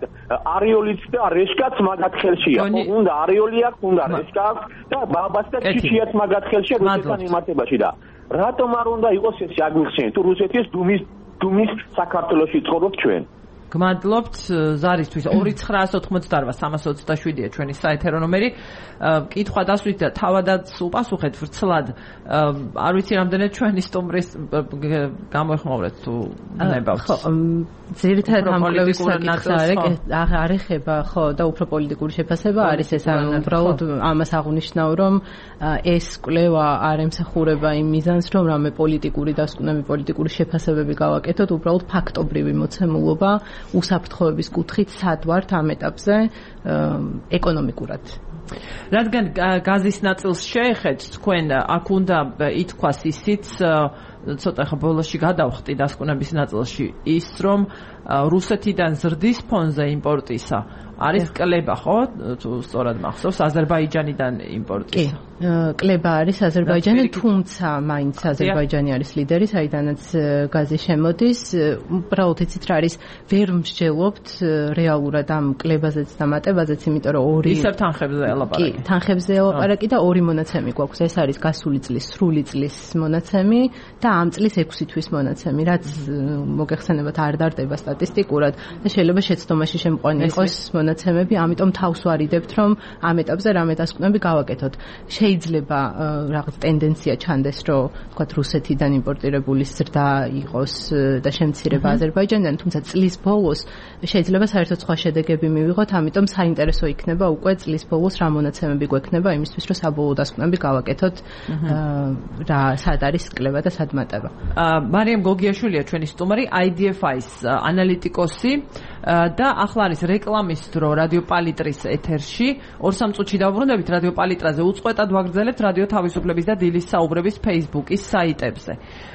არიოლიც და რეშკაც მაგათ ხელშია უნდა არიოლი აქვს უნდა რეშკა აქვს და ბაბას და ჩიჩიაც მაგათ ხელშია რუსეთთან მიმართებაში და რატომ არ უნდა იყოს ეს აგიხსენეთ თუ რუსეთის დუმის დუმის საქართველოში ცხოვრობ ჩვენ გმადლობთ ზარისთვის ორი ცხრაას ოთხმოცდაორბა სამას ოცდაშვიდია ჩვენი საეთერო ნომერი კითხვა დასვით და თავადაც უპასუხეთ ვრცლად არ ვიცი რამდენად ჩვენი სტუმრის გამოეხმაურეთ თუ ნებავთ ხო ძირითადად ამ კვლევის საკითხი არ ეხება ხო და უფრო პოლიტიკური შეფასება არის ეს ანუ უბრალოდ ამას აღნიშნავ რომ ეს კვლევა არ ემსახურება იმ მიზანს რომ რამე პოლიტიკური დასკვნები პოლიტიკური შეფასებები გავაკეთოთ უბრალოდ ფაქტობრივი მოცემულობა უსაფრთხოების კუთხით სად ვართ ამ ეტაპზე ეკონომიკურად რადგან გაზის ნაწილს შეეხეთ თქვენ აქ უნდა ითქვას ისიც ცოტა ხა ბოლოში გადავხტი დასკვნების ნაწილში ის რომ რუსეთიდან ზრდის ფონზე იმპორტისა არის კლება ხო თუ სწორად მახსოვს აზერბაიჯანიდან იმპორტისა კლება არის აზერბაიჯანი თუმცა მაინც აზერბაიჯანი არის ლიდერი საიდანაც გაზი შემოდის უბრალოდ იცით რა არის ვერ მსჯელობთ რეალურად ამ კლებაზეც და მატებაზეც იმიტომ რომ ორი ისევ თანხებზე ელაპარაკი კი თანხებზე ელაპარაკი და ორი მონაცემი გვაქვს ეს არის გასული წლის სრული წლის მონაცემი და ამ წლის ექვსი თვის მონაცემი რაც მოგეხსენებათ არ დარდება სტატისტიკურად და შეიძლება შეცდომაში შემყვანი იყოს მონაცემები ამიტომ თავს ვარიდებთ რომ ამ ეტაპზე რამე დასკვნები გავაკეთოთ შეიძლება რაღაც ტენდენცია ჩანდეს რომ თქვათ რუსეთიდან იმპორტირებული ზრდა იყოს და შემცირება აზერბაიჯანიდან თუმცა წლის ბოლოს შეიძლება საერთოდ სხვა შედეგები მივიღოთ ამიტომ საინტერესო იქნება უკვე წლის ბოლოს რა მონაცემები გვექნება იმისთვის რომ საბოლოო დასკვნები გავაკეთოთ რა სად არის კლება და სად მატება მარიამ გოგიაშვილია ჩვენი სტუმარი აი დი ეფ აის ანალიტიკოსი და ახლა არის რეკლამის დრო რადიო პალიტრის ეთერში. ორ სამ წუთში დავბრუნდებით რადიო პალიტრაზე უწყვეტად ვაგრძელებთ რადიო თავისუფლების და დილის საუბრების Facebook-ის საიტებზე.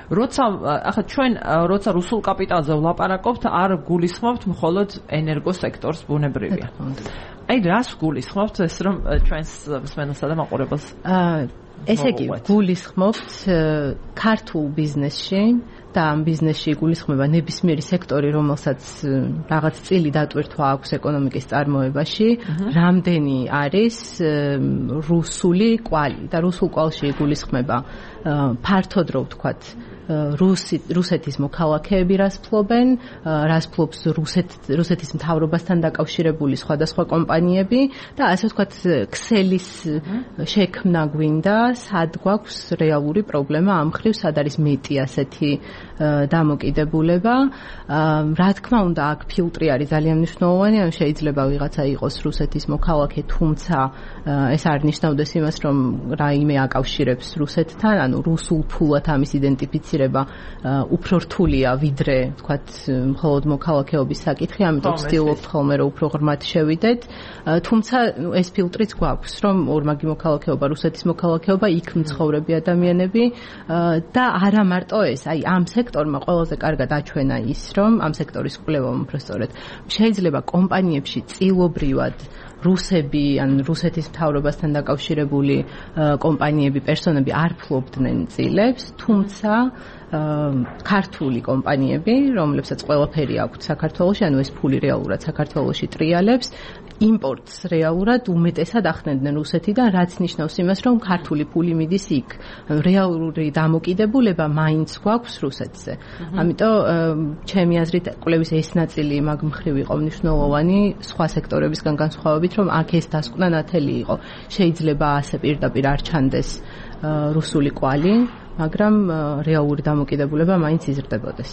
როცა ახლა ჩვენ როცა რუსულ კაპიტალზე ვლაპარაკობთ, არ გულისხმობთ მხოლოდ ენერგოსექტორს, ბუნებრივია. აი რას გულისხმობთ ეს რომ ჩვენს მსმენელსა და მაყურებელს? ესე იგი, გულისხმობთ ქართულ ბიზნესში და ამ ბიზნესში გულისხმება ნებისმიერი სექტორი, რომელსაც რაღაც წილი დატვირთვა აქვს ეკონომიკის წარმოებაში, რამდენი არის რუსული კვალი და რუსულ კვალში გულისხმება ფართოდ რო ვთქვათ რუსი რუსეთის მოქალაქეები რას ფლობენ, რას ფლობს რუსეთ რუსეთის მთავრობასთან დაკავშირებული სხვადასხვა კომპანიები და ასე ვთქვათ ქსელის შექმნა გვინდა, სად გვაქვს რეალური პრობლემა ამ ხრივ, სად არის მეტი ასეთი დამოკიდებულება. რა თქმა უნდა, აქ ფილტრი არის ძალიან მნიშვნელოვანი, ან შეიძლება ვიღაცა იყოს რუსეთის მოქალაქე, თუმცა ეს არ ნიშნავდეს იმას, რომ რაიმე აკავშირებს რუსეთთან, ანუ რუსულ ფულად ამის იდენტიფიცირება უფრო რთულია ვიდრე, ვთქვათ, მხოლოდ მოქალაქეობის საკითხი, ამიტომ ვცდილობთ ხოლმე რომ უფრო ღრმად შევიდეთ. თუმცა ეს ფილტრიც გვაქვს, რომ ორმაგი მოქალაქეობა, რუსეთის მოქალაქეობა, იქ მცხოვრები ადამიანები და არა მარტო ეს, აი ამ სექტორმა ყველაზე კარგად აჩვენა ის, რომ ამ სექტორის კვლევამ უბრალოდ შეიძლება კომპანიებში წილობრივად რუსები ან რუსეთის მთავრობასთან დაკავშირებული კომპანიები, პერსონები არ ფლობდნენ წილებს, თუმცა ქართული კომპანიები, რომლებსაც ყველაფერი აქვთ საქართველოში, ანუ ეს ფული რეალურად საქართველოში ტრიალებს, იმპორტს რეალურად უმეტესად ახდენდნენ რუსეთიდან, რაც ნიშნავს იმას, რომ ქართული ფული მიდის იქ. რეალური დამოკიდებულება მაინც გვაქვს რუსეთზე. ამიტომ ჩემი აზრით, კვლევის ეს ნაწილი მაგ მხრივ იყო მნიშვნელოვანი, სხვა სექტორებისგან განსხვავებით, რომ აქ ეს დასკვნა ნათელი იყო. შეიძლება ასე პირდაპირ არ ჩანდეს რუსული კვალი, მაგრამ რეალური დამოკიდებულება მაინც იზრდებოდეს.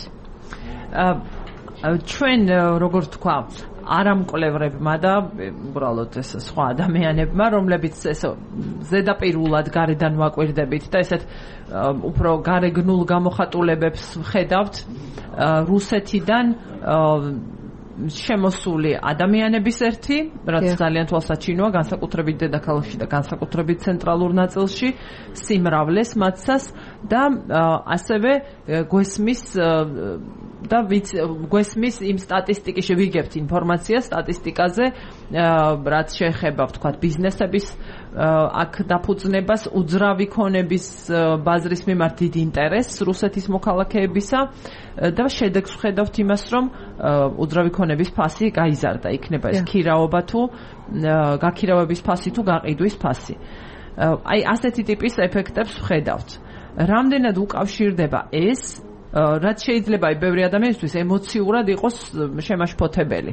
ჩვენ როგორ თქვა, არამკვლევრებმა და უბრალოდ ეს სხვა ადამიანებმა, რომლებიც ეს ზედაპირულად გარედან ვაკვირდებით და ესეთ უფრო გარეგნულ გამოხატულებებს ვხედავთ რუსეთიდან შემოსული ადამიანების ერთი, რაც ძალიან თვალსაჩინოა, განსაკუთრებით დედაქალაქში და განსაკუთრებით ცენტრალურ ნაწილში, სიმრავლეს მათსას და ასევე გვესმის და გვესმის იმ სტატისტიკის ვიგებთ ინფორმაცია სტატისტიკაზე, რაც შეეხება, ვთქვათ, ბიზნესების აქ დაფუძნებას, უძრავი ქონების ბაზრის მიმართ დიდ ინტერესს რუსეთის მოქალაქეებისა და შედეგს ვხედავთ იმას, რომ უძრავი ქონების ფასი გაიზარდა, იქნება ეს ქირაობა თუ გაქირავების ფასი თუ გაყიდვის ფასი. აი ასეთი ტიპის ეფექტებს ვხედავთ. რამდენად უკავშირდება ეს, რაც შეიძლება ბევრი ადამიანისთვის ემოციურად იყოს შემაშფოთებელი.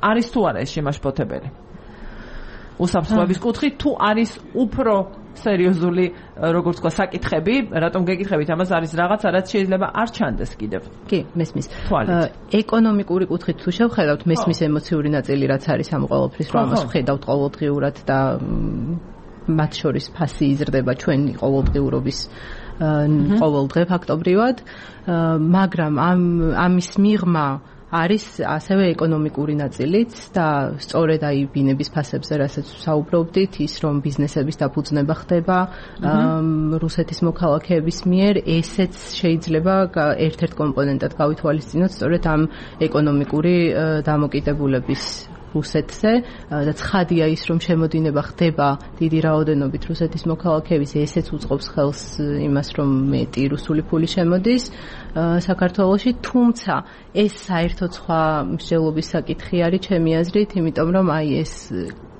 არის თუ არა ეს შემაშფოთებელი? უსაფრთხოების კუთხით თუ არის უფრო სერიოზული, როგორც თქვა, საკითხები, რატომ გეკითხებით, ამას არის რაღაცა, რაც შეიძლება არ ჩანდეს კიდევ. კი, მესმის. ეკონომიკური კუთხით თუ შევხედავთ, მესმის ემოციური ნაწილი, რაც არის ამ ყოველფრის, რომ ამას ვხედავთ ყოველდღიურად და მათ შორის ფასი იზრდება ჩვენი ყოველდღიურობის ყოველდღე ფაქტობრივად, მაგრამ ამ ამის მიღმა არის ასევე ეკონომიკური ნაწილიც და სწორედ აი ბინების ფასებზე, რასაც საუბრობდით, ის რომ ბიზნესების დაფუძნება ხდება რუსეთის მოქალაქეების მიერ, ესეც შეიძლება ერთ-ერთ კომპონენტად გავითვალისწინოთ სწორედ ამ ეკონომიკური დამოკიდებულების რუსეთზე და ცხადია ის, რომ შემოდინება ხდება დიდი რაოდენობით რუსეთის მოქალაქეების, ესეც უწყობს ხელს იმას, რომ მეტი რუსული ფული შემოდის საქართველოში, თუმცა ეს საერთოდ სხვა მსჯელობის საკითხი არის ჩემი აზრით, იმიტომ რომ აი ეს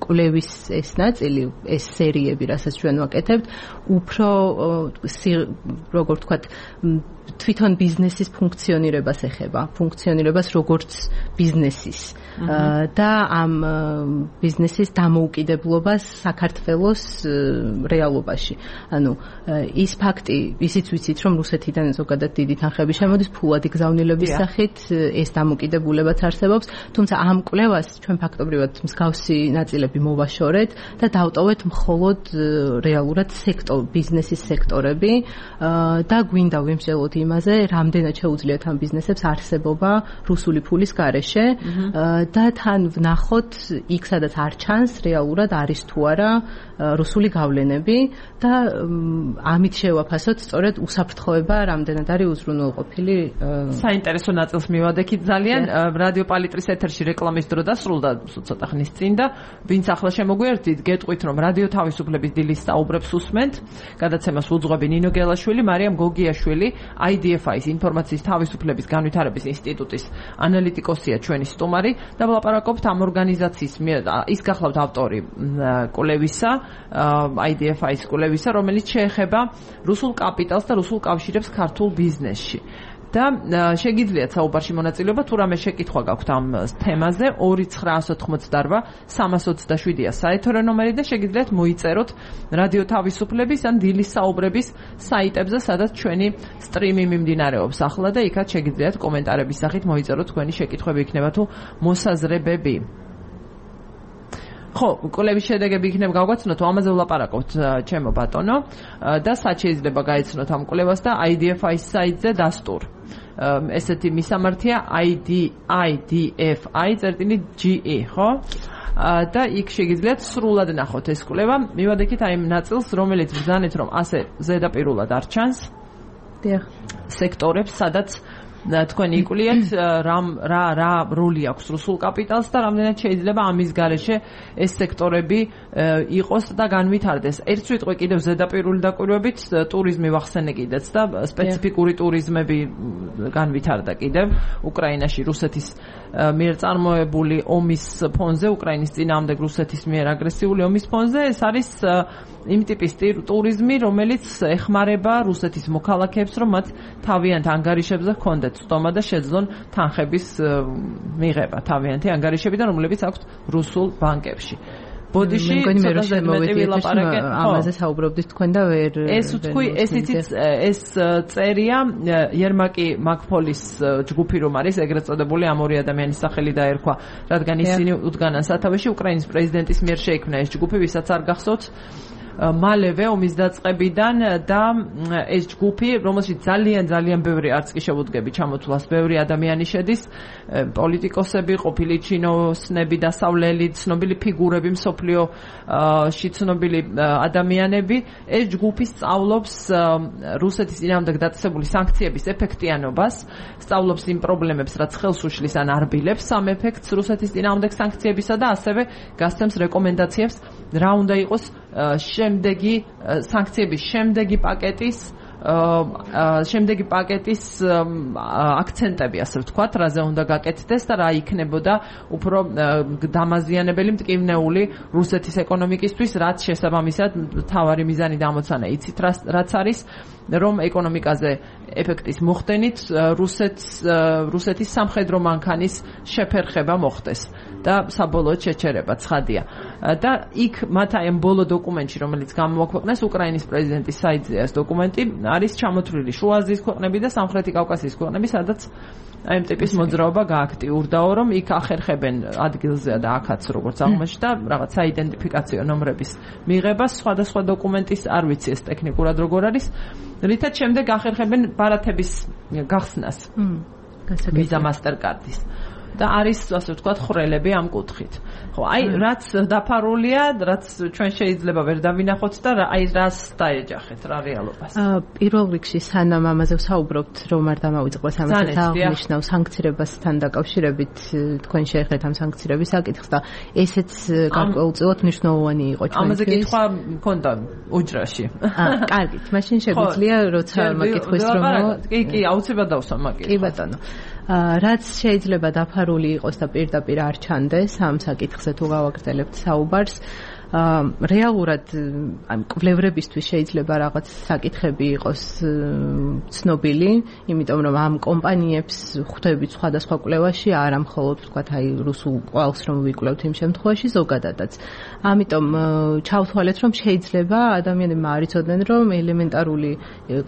კვლევის ეს ნაწილი, ეს სერიები, რასაც ჩვენ ვაკეთებთ, უფრო როგორ ვთქვათ, თვითონ ბიზნესის ფუნქციონირებას ეხება, ფუნქციონირებას როგორც ბიზნესის და ამ ბიზნესის დამოუკიდებლობას საქართველოს რეალობაში. ანუ ის ფაქტი, ისიც ვიცით, რომ რუსეთიდან ზოგადად დიდი თანხები შემოდის ფულადი გზავნილების სახით, ეს დამოუკიდებულებაც არსებობს, თუმცა ამ კვლევას ჩვენ ფაქტობრივად მსგავსი ნაწილები სექტორები მოვაშორეთ და დავტოვეთ მხოლოდ რეალურად სექტორ ბიზნესის სექტორები და გვინდა ვიმსჯელოთ იმაზე, რამდენად შეუძლიათ ამ ბიზნესებს არსებობა რუსული ფულის გარეშე და თან ვნახოთ იქ სადაც არ ჩანს რეალურად არის თუ არა რუსული გავლენები და ამით შევაფასოთ სწორედ უსაფრთხოება რამდენად არის უზრუნველყოფილი. საინტერესო ნაწილს მივადექით ძალიან. რადიო პალიტრის ეთერში რეკლამის დრო დასრულდა ცოტა ხნის წინ და ვინც ახლა შემოგვიერთდით, გეტყვით რომ რადიო თავისუფლების დილის საუბრებს უსმენთ. გადაცემას უძღვები ნინო გელაშვილი, მარიამ გოგიაშვილი, აი დი ეფ აის ინფორმაციის თავისუფლების განვითარების ინსტიტუტის ანალიტიკოსია ჩვენი სტუმარი და ვლაპარაკობთ ამ ორგანიზაციის ის გახლავთ ავტორი კვლევისა, აი დი ეფ აის კვლევისა, რომელიც შეეხება რუსულ კაპიტალს და რუსულ კავშირებს ქართულ ბიზნესში. და შეგიძლიათ საუბარში მონაწილეობა, თუ რამე შეკითხვა გაქვთ ამ თემაზე, ორი ცხრაას ოთხმოცდარვა სამას ოცდაშვიდია საეთერო ნომერი და შეგიძლიათ მოიწეროთ რადიო თავისუფლების ან დილის საუბრების საიტებზე, სადაც ჩვენი სტრიმი მიმდინარეობს ახლა და იქაც შეგიძლიათ კომენტარების სახით მოიწეროთ თქვენი შეკითხვები იქნება თუ მოსაზრებები. ხო, კვლევის შედეგები იქნება გავგაცნოთ, ამაზე ვლაპარაკობთ ჩემო ბატონო და სად შეიძლება გაეცნოთ ამ კვლევას და აი დი ეფ აის საიტზე დასტურ. ესეთი მისამართია აი დი ეფ აი წერტილი ჯი ი, ხო? და იქ შეგიძლიათ სრულად ნახოთ ეს კვლევა. მივადექით აი იმ ნაწილს, რომელიც ბრძანეთ რომ ასე ზედაპირულად არ ჩანს. დიახ. სექტორებს, სადაც თქვენ იკულიათ რამ რა რა როლი აქვს რუსულ კაპიტალს და რამდენად შეიძლება ამის გარეშე ეს სექტორები იყოს და განვითარდეს. ერთ სიტყვი კიდევ ზედაპირული დაკვირვებით ტურიზმი ვახსენე კიდეც და სპეციფიკური ტურიზმები განვითარდა კიდევ უკრაინაში რუსეთის მიერ წარმოებული ომის ფონზე, უკრაინის წინააღმდეგ რუსეთის მიერ აგრესიული ომის ფონზე. ეს არის იმ ტიპის ტურიზმი, რომელიც ეხმარება რუსეთის მოქალაქეებს, რომ მათ თავიანთ ანგარიშებზე ჰქონდეთ სტომა და შეძლონ თანხების მიღება თავიანთი ანგარიშებიდან, რომლებიც აქვთ რუსულ ბანკებში. ბოდიში ცოტა მეტი ვილაპარაკე ამაზე საუბრობდით თქვენ და ვერ ეს თქვი ეს იცით ეს წერია ერმაკი მაკფოლის ჯგუფი რომ არის ეგრეთ წოდებული ამ ორი ადამიანის სახელი დაერქვა, რადგან ისინი უდგანან სათავეში უკრაინის პრეზიდენტის მიერ შეიქმნა ეს ჯგუფი, ვისაც არ გახსოვთ მალევე ომის დაწყებიდან და ეს ჯგუფი, რომელშიც ძალიან ძალიან ბევრი არც კი შევუდგები ჩამოთვლას, ბევრი ადამიანი შედის, პოლიტიკოსები, ყოფილი ჩინოსნები, დასავლელი ცნობილი ფიგურები, მსოფლიოში ცნობილი ადამიანები, ეს ჯგუფი სწავლობს რუსეთის წინააღმდეგ დაწესებული სანქციების ეფექტიანობას, სწავლობს იმ პრობლემებს, რაც ხელს უშლის ან არბილებს ამ ეფექტს რუსეთის წინააღმდეგ სანქციებისა და ასევე გასცემს რეკომენდაციებს, რა უნდა იყოს შემდეგი სანქციების შემდეგი პაკეტის შემდეგი პაკეტის აქცენტები, ასე ვთქვათ, რაზე უნდა გაკეთდეს და რა იქნებოდა უფრო დამაზიანებელი მტკივნეული რუსეთის ეკონომიკისთვის, რაც შესაბამისად მთავარი მიზანი და ამოცანა იცით, რაც არის, რომ ეკონომიკაზე ეფექტის მოხდენით რუსეთს რუსეთის სამხედრო მანქანის შეფერხება მოხდეს და საბოლოოდ შეჩერება ცხადია. და იქ მათ აი ამ ბოლო დოკუმენტში, რომელიც გამოაქვეყნეს უკრაინის პრეზიდენტის საიტზე, ეს დოკუმენტი არის ჩამოთვლილი შუა აზიის ქვეყნები და სამხრეთი კავკასიის ქვეყნები, სადაც აი ამ ტიპის მოძრაობა გააქტიურდაო, რომ იქ ახერხებენ ადგილზე და აქაც როგორც აღმოჩნდა რაღაც საიდენტიფიკაციო ნომრების მიღებას, სხვადასხვა დოკუმენტის არ ვიცი ეს ტექნიკურად როგორ არის, რითაც შემდეგ ახერხებენ ბარათების გახსნას ვიზა მასტერკარდის. და არის ასე ვთქვათ ხრელები ამ კუთხით. ხო, აი რაც დაფარულია, რაც ჩვენ შეიძლება ვერ დავინახოთ და აი რას დაეჯახეთ რა რეალობას. აა პირველ რიგში სანამ ამაზე ვსაუბრობთ, რომ არ დამავიწყდეს ამასაც აღნიშნავ სანქციებასთან დაკავშირებით, თქვენ შეეხეთ ამ სანქციების საკითხს და ესეც გარკვეულწილად მნიშვნელოვანი იყო ჩვენთვის. ამაზე კითხვა მქონდა უჯრაში. აა, კარგით, მაშინ შეგვიძლია როცა მაგითხვის რომ კი, კი, აუცილებლად დავსვა მაგით. კი ბატონო. რაც შეიძლება დაფარული იყოს და პირდაპირ არ ჩანდეს ამ საკითხზე თუ გავაგრძელებთ საუბარს, რეალურად ამ კვლევრებისთვის შეიძლება რაღაც საკითხები იყოს ცნობილი, იმიტომ რომ ამ კომპანიებს ხვდებით სხვადასხვა კვლევაში, არა მხოლოდ ვთქვათ, აი რუსულ კვალს რომ ვიკვლევთ იმ შემთხვევაში ზოგადადაც. ამიტომ ჩავთვალეთ, რომ შეიძლება ადამიანებმა არ იცოდნენ, რომ ელემენტარული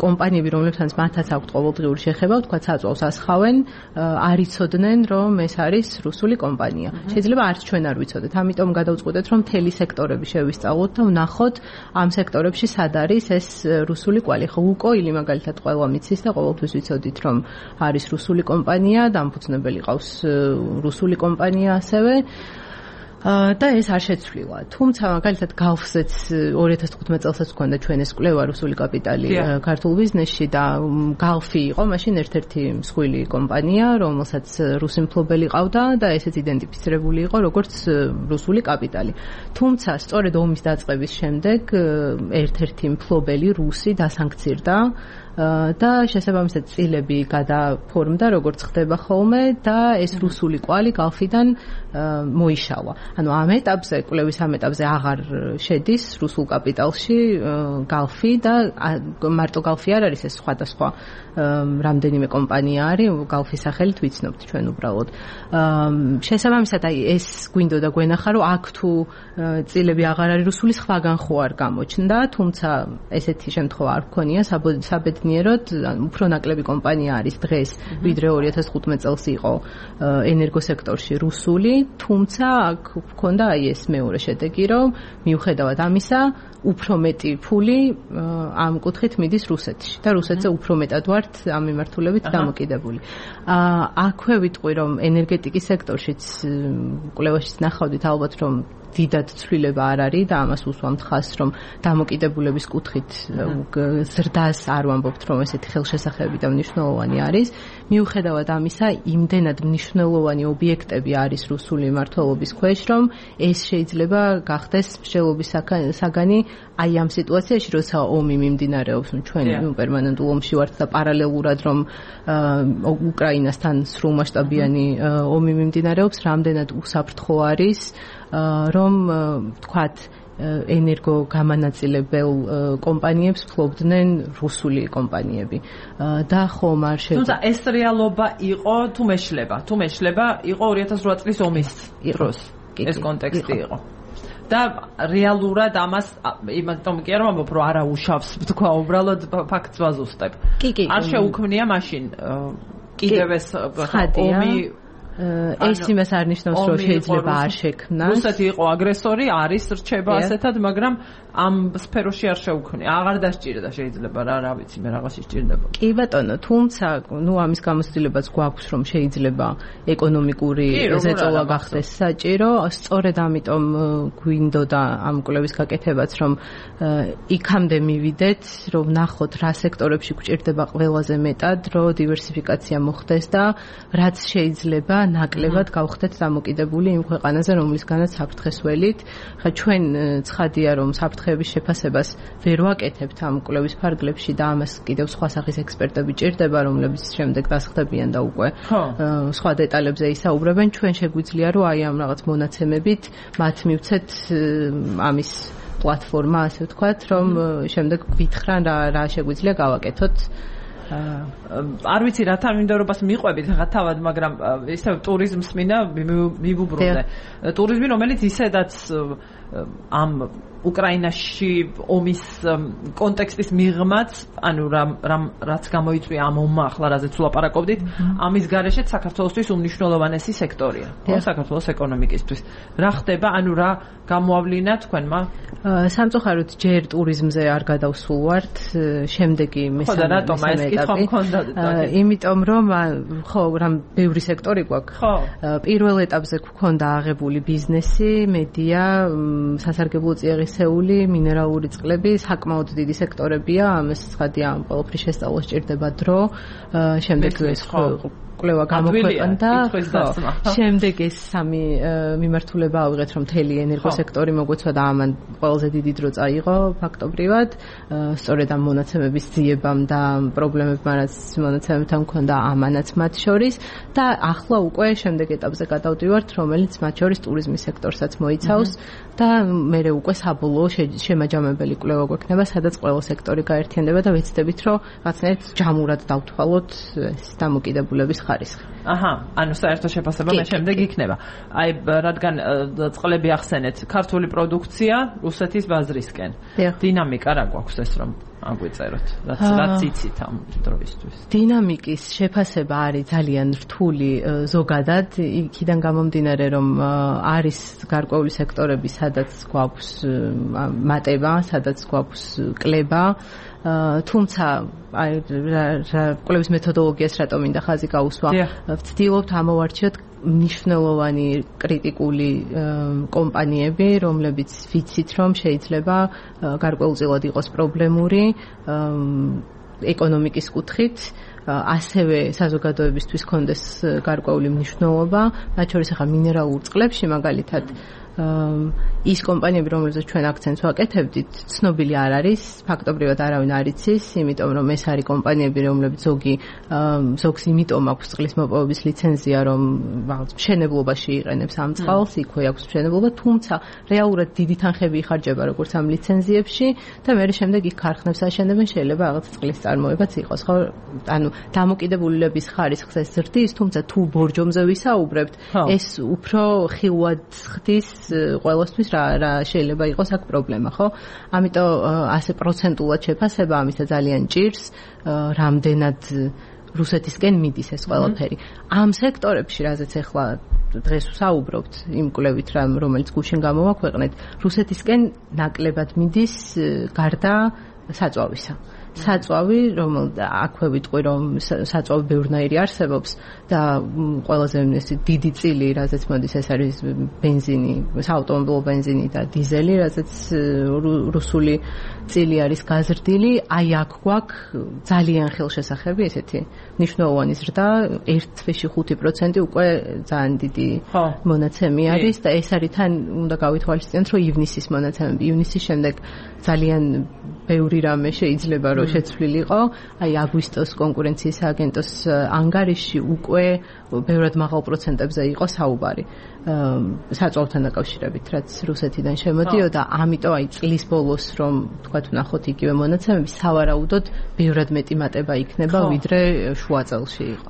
კომპანიები, რომლებსაც მათაც აქვთ ყოველდღიური შეხება, ვთქვათ, საწვავს ასხავენ, არ იცოდნენ, რომ ეს არის რუსული კომპანია. შეიძლება არც ჩვენ არ ვიცოდეთ. ამიტომ გადავწყვეტეთ, რომ მთელი სექტორები შევისწავლოთ და ვნახოთ ამ სექტორებში სად არის ეს რუსული კვალი. ხო, უკოილი მაგალითად ყველა მიცის და ყოველთვის ვიცოდით, რომ არის რუსული კომპანია, დამფუძნებელი ყავს რუსული კომპანია ასევე. და ეს არ შეცვლილა. თუმცა მაგალითად გალფზეც ორი ათას თხუთმეტ წელსაც ჰქონდა ჩვენ ეს კვლევა რუსული კაპიტალი ქართულ ბიზნესში და გალფი იყო მაშინ ერთ-ერთი მსხვილი კომპანია, რომელსაც რუსი მფლობელი ყავდა და ესეც იდენტიფიცირებული იყო როგორც რუსული კაპიტალი. თუმცა სწორედ ომის დაწყების შემდეგ ერთ-ერთი მფლობელი რუსი დასანქცირდა და შესაბამისად წილები გადაფორმდა, როგორც ხდება ხოლმე და ეს რუსული კვალი გალფიდან მოიშალა. ანუ ამ ეტაპზე, კვლევის ამ ეტაპზე აღარ შედის რუსულ კაპიტალში გალფი და მარტო გალფი არ არის, ეს სხვადასხვა რამდენიმე კომპანია არის, გალფის სახელით ვიცნობთ ჩვენ უბრალოდ. შესაბამისად, აი ეს გვინდოდა გვენახა, რომ აქ თუ წილები აღარ არის რუსული, სხვაგან ხო არ გამოჩნდა, თუმცა ესეთი შემთხვევა არ გქონია საბედნიეროდ, უფრო ნაკლები კომპანია არის დღეს, ვიდრე ორი ათას თხუთმეტ წელს იყო ენერგოსექტორში რუსული, თუმცა აქ გქონდა აი ეს მეორე შედეგი, რომ მიუხედავად ამისა, უფრო მეტი ფული ამ კუთხით მიდის რუსეთში და რუსეთზე უფრო მეტად ვართ ამ მიმართულებით დამოკიდებული. აქვე ვიტყვი, რომ ენერგეტიკის სექტორშიც კვლევაშიც ნახავდით ალბათ, რომ დიდად ცვლილება არ არის და ამას უსვამთ ხაზს, რომ დამოკიდებულების კუთხით ზრდას არ ვამბობთ, რომ ესეთი ხელშესახები და მნიშვნელოვანი არის. მიუხედავად ამისა, იმდენად მნიშვნელოვანი ობიექტები არის რუსული მმართველობის ქვეშ, რომ ეს შეიძლება გახდეს მსჯელობის საგანი აი ამ სიტუაციაში, როცა ომი მიმდინარეობს, ჩვენ პერმანენტულ ომში ვართ და პარალელურად რომ უკრაინასთან სრულმასშტაბიანი ომი მიმდინარეობს, რამდენად უსაფრთხო არის რომ თქვათ ენერგო გამანაწილებელ კომპანიებს ფლობდნენ რუსული კომპანიები და ხომ არ შეიძლება. თუმცა ეს რეალობა იყო თუ მეშლება, თუ მეშლება იყო ორი ათას რვა წლის ომის დროს. ეს კონტექსტი იყო. და რეალურად ამას იმიტომ კი არ ვამბობ, რომ არა უშავს, თქვა უბრალოდ ფაქტს ვაზუსტებ. არ შეუქმნია მაშინ კიდევ ეს ომი ეს იმას არ ნიშნავს, რომ შეიძლება არ შექმნას. რუსეთი იყო აგრესორი, არის რჩება ასეთად, მაგრამ ამ სფეროში არ შეუქმნია. აღარ დასჭირდა შეიძლება რა, რა ვიცი, მე რაღაცი სჭირდება. კი ბატონო, თუმცა, ნუ ამის გამოცდილებაც გვაქვს, რომ შეიძლება ეკონომიკური ზეწოლა გახდეს საჭირო. სწორედ ამიტომ გვინდოდა ამ კვლევის გაკეთებაც, რომ იქამდე მივიდეთ, რომ ნახოთ რა სექტორებში გვჭირდება ყველაზე მეტად, რომ დივერსიფიკაცია მოხდეს და რაც შეიძლება ნაკლებად გავხდეთ დამოკიდებული იმ ქვეყანაზე, რომლისგანაც საფრთხეს ველით. ხა ჩვენ ცხადია, რომ საფრთხეების შეფასებას ვერ ვაკეთებთ ამ კვლევის ფარგლებში და ამას კიდევ სხვა სახის ექსპერტები ჭირდება, რომლებიც შემდეგ დასხდებიან და უკვე სხვა დეტალებზე ისაუბრებენ. ჩვენ შეგვიძლია, რომ აი ამ რაღაც მონაცემებით მათ მივცეთ ამის პლატფორმა, ასე ვთქვათ, რომ შემდეგ გვითხრან რა რა შეგვიძლია გავაკეთოთ. არ ვიცი რა თანმიმდევრობას მიყვებით ხა თავად, მაგრამ ისე ტურიზმს მინდა მივუბრუნდე. ტურიზმი, რომელიც ისედაც ამ უკრაინაში ომის კონტექსტის მიღმაც, ანუ რამ რაც გამოიწვია ამ ომმა, ახლა რაზეც ვლაპარაკობდით, ამის გარეშეც საქართველოსთვის უმნიშვნელოვანესი სექტორია, საქართველოს ეკონომიკისთვის. რა ხდება, ანუ რა გამოავლინა თქვენმა? სამწუხაროდ ჯერ ტურიზმზე არ გადავსულვართ, შემდეგი მესამე ეტაპი. იმიტომ რომ ხო, რამ ბევრი სექტორი გვაქვს. პირველ ეტაპზე გვქონდა აღებული ბიზნესი, მედია, სასარგებლო წიაღისეული, მინერალური წყლები, საკმაოდ დიდი სექტორებია, ამას ცხადია, ამ ყველაფრის შესწავლა სჭირდება დრო. შემდეგ ეს კვლევა გამოქვეყნდა. შემდეგ ეს სამი მიმართულება ავიღეთ, რომ მთელი ენერგოსექტორი მოგვეცვა და ამან ყველაზე დიდი დრო წაიღო ფაქტობრივად. სწორედ ამ მონაცემების ძიებამ და პრობლემებმა, რაც მონაცემებთან მქონდა ამანაც მათ შორის და ახლა უკვე შემდეგ ეტაპზე გადავდივართ, რომელიც მათ შორის ტურიზმის სექტორსაც მოიცავს და მე უკვე საბოლოო შემაჯამებელი კვლევა გვექნება, სადაც ყველა სექტორი გაერთიანდება და ვეცდებით, რომ რაღაცნაირად ჯამურად დავთვალოთ ეს დამოკიდებულების ხარისხი. აჰა, ანუ საერთო შეფასება მე შემდეგ იქნება. აი, რადგან წყლები ახსენეთ, ქართული პროდუქცია რუსეთის ბაზრისკენ. დინამიკა რა გვაქვს ეს რომ აგვიწეროთ, რაც რაც იცით ამ დროისთვის. დინამიკის შეფასება არის ძალიან რთული ზოგადად, იქიდან გამომდინარე, რომ არის გარკვეული სექტორები, სადაც გვაქვს მატება, სადაც გვაქვს კლება, თუმცა აი კვლევის მეთოდოლოგიას რატომ მინდა ხაზი გაუსვა, ვცდილობთ ამოვარჩიოთ მნიშვნელოვანი კრიტიკული კომპანიები, რომლებიც ვიცით, რომ შეიძლება გარკვეულწილად იყოს პრობლემური ეკონომიკის კუთხით, ასევე საზოგადოებისთვის კონდეს გარკვეული მნიშვნელობა, მათ შორის ახლა მინერალურ წყლებში მაგალითად ის კომპანიები, რომელზეც ჩვენ აქცენტს ვაკეთებდით, ცნობილი არ არის, ფაქტობრივად არავინ არ იცის, იმიტომ რომ ეს არის კომპანიები, რომლებიც ზოგი ზოგს იმიტომ აქვს წყლის მოპოვების ლიცენზია, რომ მშენებლობაში იყენებს ამ წყალს, იქვე აქვს მშენებლობა, თუმცა რეალურად დიდი თანხები იხარჯება როგორც ამ ლიცენზიებში და მე შემდეგ იქ ქარხნებს აშენებენ, შეიძლება რაღაც წყლის წარმოებაც იყოს, ხო? ანუ დამოკიდებულების ხარისხს ეს ზრდის, თუმცა თუ ბორჯომზე ვისაუბრებთ, ეს უფრო ხილვად ხდის ყველასთვის რა რა შეიძლება იყოს აქ პრობლემა, ხო? ამიტომ ასე პროცენტულად შეფასება ამისა ძალიან ჭირს, რამდენად რუსეთისკენ მიდის ეს ყველაფერი. ამ სექტორებში, რაზეც ახლა დღეს ვსაუბრობთ, იმ კვლევით, რომელიც გუშინ გამოვაქვეყნეთ, რუსეთისკენ ნაკლებად მიდის გარდა საწვავისა. საწვავი, რომ აქვე ვიტყვი, რომ საწვავი ბევრნაირი არსებობს და ყველაზე დიდი წილი, რაზეც მოდის, ეს არის ბენზინი, საავტომობილო ბენზინი და დიზელი, რაზეც რუსული წილი არის გაზრდილი, აი აქ გვაქვს ძალიან ხელშესახები, ესეთი მნიშვნელოვანი ზრდა, ერთ თვეში ხუთი პროცენტი უკვე ძალიან დიდი მონაცემი არის და ეს არის თან უნდა გავითვალისწინოთ, რომ ივნისის მონაცემები, ივნისის შემდეგ ძალიან ბევრი რამე შეიძლება რომ შეცვლილიყო, აი აგვისტოს კონკურენციის სააგენტოს ანგარიში უკვე ბევრად მაღალ პროცენტებზე იყო საუბარი საწვავთან დაკავშირებით, რაც რუსეთიდან შემოდიოდა, ამიტომ აი წლის ბოლოს რომ თქვათ ვნახოთ იგივე მონაცემები, სავარაუდოდ ბევრად მეტი მატება იქნება, ვიდრე შუა წელში იყო.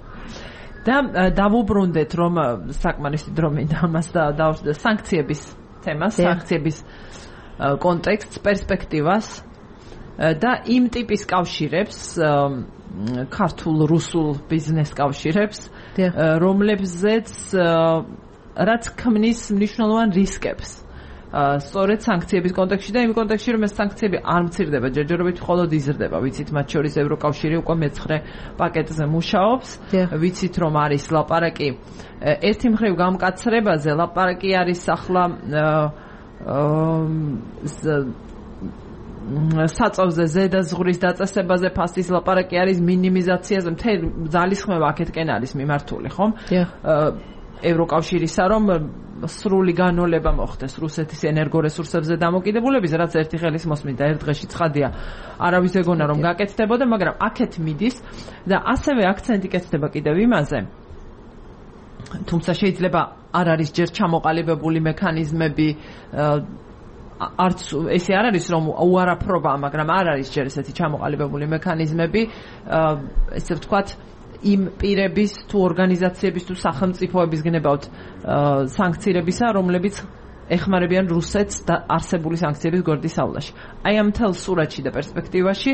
და დავუბრუნდეთ, რომ საკმარისი დრო მინდა ამას დავუშვათ სანქციების თემას, სანქციების კონტექსტს, პერსპექტივას და იმ ტიპის კავშირებს, ქართულ-რუსულ ბიზნეს კავშირებს, რომლებზეც რაც ქმნის მნიშვნელოვან რისკებს. სწორედ სანქციების კონტექსტში და იმ კონტექსტში, რომ ეს სანქციები არ მცირდება, ჯერჯერობით მხოლოდ იზრდება. ვიცით, მათ შორის ევროკავშირი უკვე მეცხრე პაკეტზე მუშაობს. ვიცით, რომ არის ლაპარაკი ერთი მხრივ გამკაცრებაზე, ლაპარაკი არის ახლა საწავზე ზედაზღურის დაწესებაზე, ფასის ლაპარაკი არის მინიმიზაციაზე, მთელი ძალისხმევა აქეთკენ არის მიმართული, ხომ? ევროკავშირისა, რომ სრული განოლება მოხდეს რუსეთის ენერგორესურსებზე დამოკიდებულების, რაც ერთი ხელის მოსმით და ერთ დღეში ცხადია, არავის ეგონა რომ გაკეთდებოდა, მაგრამ აქეთ მიდის და ასევე აქცენტი კეთდება კიდევ იმაზე, თუმცა შეიძლება არ არის ჯერ ჩამოყალიბებული მექანიზმები, არც ესე არ არის რომ უარაფრობა, მაგრამ არ არის ჯერ ესეთი ჩამოყალიბებული მექანიზმები, ესე ვთქვათ, იმ პირების თუ ორგანიზაციების თუ სახელმწიფოების გნებავთ სანქციებისა, რომლებიც ეხმარებიან რუსეთს და არსებული სანქციების გვერდის აავლაში. აი ამ მთელ სურათში და პერსპექტივაში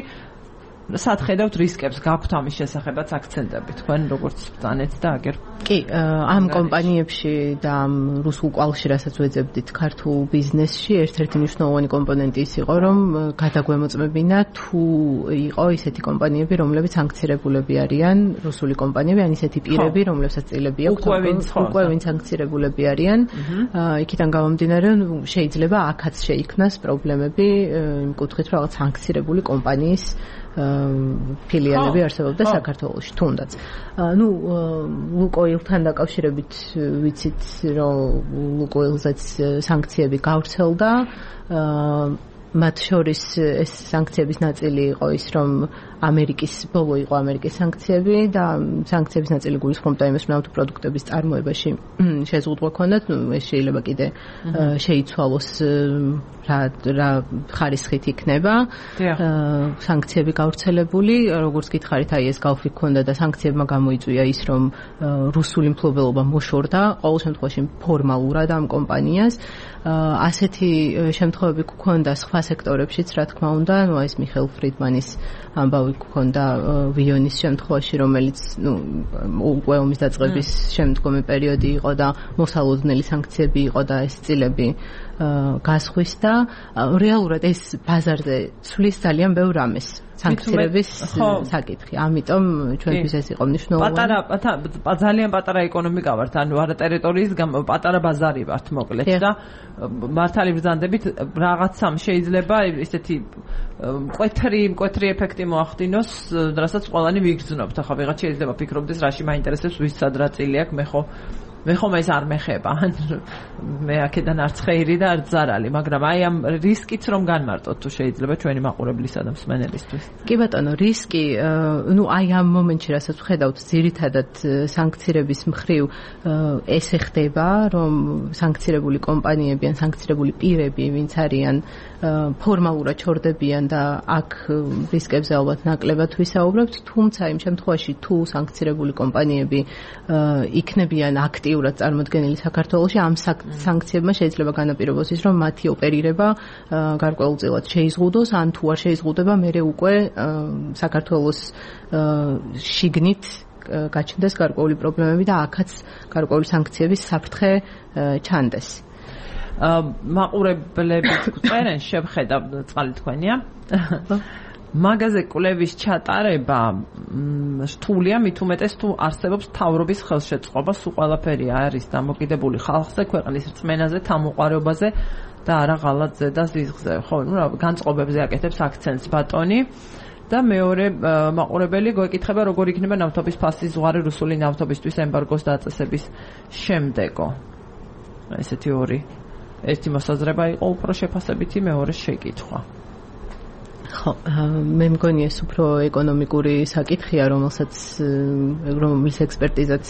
სად ხედავთ რისკებს, გაქვთ ამის შესახებაც აქცენტები თქვენ როგორც ბრძანეთ და აგერ? კი, ამ კომპანიებში და ამ რუსულ კავშირასაც ვეძებდით ქართულ ბიზნესში, ერთ-ერთი მნიშვნელოვანი კომპონენტი ის იყო, რომ გადაგვემოწმებინა თუ იყო ისეთი კომპანიები, რომლებიც სანქცირებულები არიან, რუსული კომპანიები, ან ისეთი პირები, რომლებსაც წილები აქვთ, უკვე ვინც სანქცირებულები არიან. იქიდან გამომდინარე, შეიძლება აქაც შეიქმნას პრობლემები იმ კუთხით, რომ რაღაც სანქცირებული კომპანიის ფილიალები არსებობდა საქართველოში თუნდაც. ნუ ლუკოილთან დაკავშირებით ვიცით, რომ ლუკოილზეც სანქციები გავრცელდა. მათ შორის ეს სანქციების ნაწილი იყო ის, რომ ამერიკის ბოლო იყო ამერიკის სანქციები და სანქციების ნაწილი გულისხმობდა იმას, რომ ნავთობპროდუქტების წარმოებაში შეზღუდვა ქონდათ. ნუ ეს შეიძლება კიდე შეიცვალოს რა რა ხარისხით იქნება სანქციები გავრცელებული. როგორც გითხარით, აი ეს გავხი ქონდა და სანქციებმა გამოიწვია ის, რომ რუსული მფლობელობა მოშორდა ყოველ შემთხვევაში ფორმალურად ამ კომპანიას. ასეთი შემთხვევები გქონდა სხვა სექტორებშიც, რა თქმა უნდა, ნუ ეს მიხეილ ფრიდმანის ამბავი გქონდა ვიონის შემთხვევაში, რომელიც ნუ უკვე ომის დაწყების შემდგომი პერიოდი იყო და მოსალოდნელი სანქციები იყო და ეს წილები გასხვისდა. რეალურად ეს ბაზარზე ცვლის ძალიან ბევრ რამეს სანქციების საკითხი. ამიტომ ჩვენთვის ეს იყო მნიშვნელოვანი. პატარა ძალიან პატარა ეკონომიკა ვართ, ანუ არა ტერიტორიის პატარა ბაზარი ვართ მოკლედ და მართალი ბრძანდებით რაღაცამ შეიძლება ესეთი მკვეთრი მკვეთრი ეფექტი მოახდინოს, რასაც ყველანი ვიგრძნობთ. ახლა ვიღაც შეიძლება ფიქრობდეს, რაში მაინტერესებს ვის სად რა წილი აქვს, მე ხო მე ხომ ეს არ მეხება. მე აქედან არც ხეირი და არც ზარალი, მაგრამ აი ამ რისკიც რომ განმარტოთ თუ შეიძლება ჩვენი მაყურებლისა და მსმენელისთვის. კი ბატონო, რისკი, ნუ აი ამ მომენტში რასაც ვხედავთ, ძირითადად სანქცირების მხრივ ესე ხდება, რომ სანქცირებული კომპანიები ან სანქცირებული პირები, ვინც არიან, ფორმალურად ჩორდებიან და აქ რისკებზე ალბათ ნაკლებად ვისაუბრებთ, თუმცა იმ შემთხვევაში თუ სანქცირებული კომპანიები იქნებიან აქტიურად წარმოდგენილი საქართველოში, ამ სანქციებმა შეიძლება განაპირობოს ის, რომ მათი ოპერირება გარკვეულწილად შეიზღუდოს, ან თუ არ შეიზღუდება, მერე უკვე საქართველოს შიგნით გაჩნდეს გარკვეული პრობლემები და აქაც გარკვეული სანქციების საფრთხე ჩანდეს. მაყურებლები წერენ, შევხედავ წყალი თქვენია. მაგაზე კვლევის ჩატარება რთულია, მით უმეტეს თუ არსებობს მთავრობის ხელშეწყობა, სულ ყველაფერი არის დამოკიდებული ხალხზე, ქვეყნის რწმენაზე, თამოყვარეობაზე და არა ღალატზე და ზიზღზე. ხო, ნუ რა განწყობებზე აკეთებს აქცენტს ბატონი. და მეორე მაყურებელი გვეკითხება, როგორ იქნება ნავთობის ფასის ზღვარი რუსული ნავთობისთვის ემბარგოს დაწესების შემდეგო. ესეთი ორი ერთი მოსაზრება იყო უფრო შეფასებითი, მეორე შეკითხვა. ხო, მე მგონი ეს უფრო ეკონომიკური საკითხია, რომელსაც რომლის ექსპერტიზაც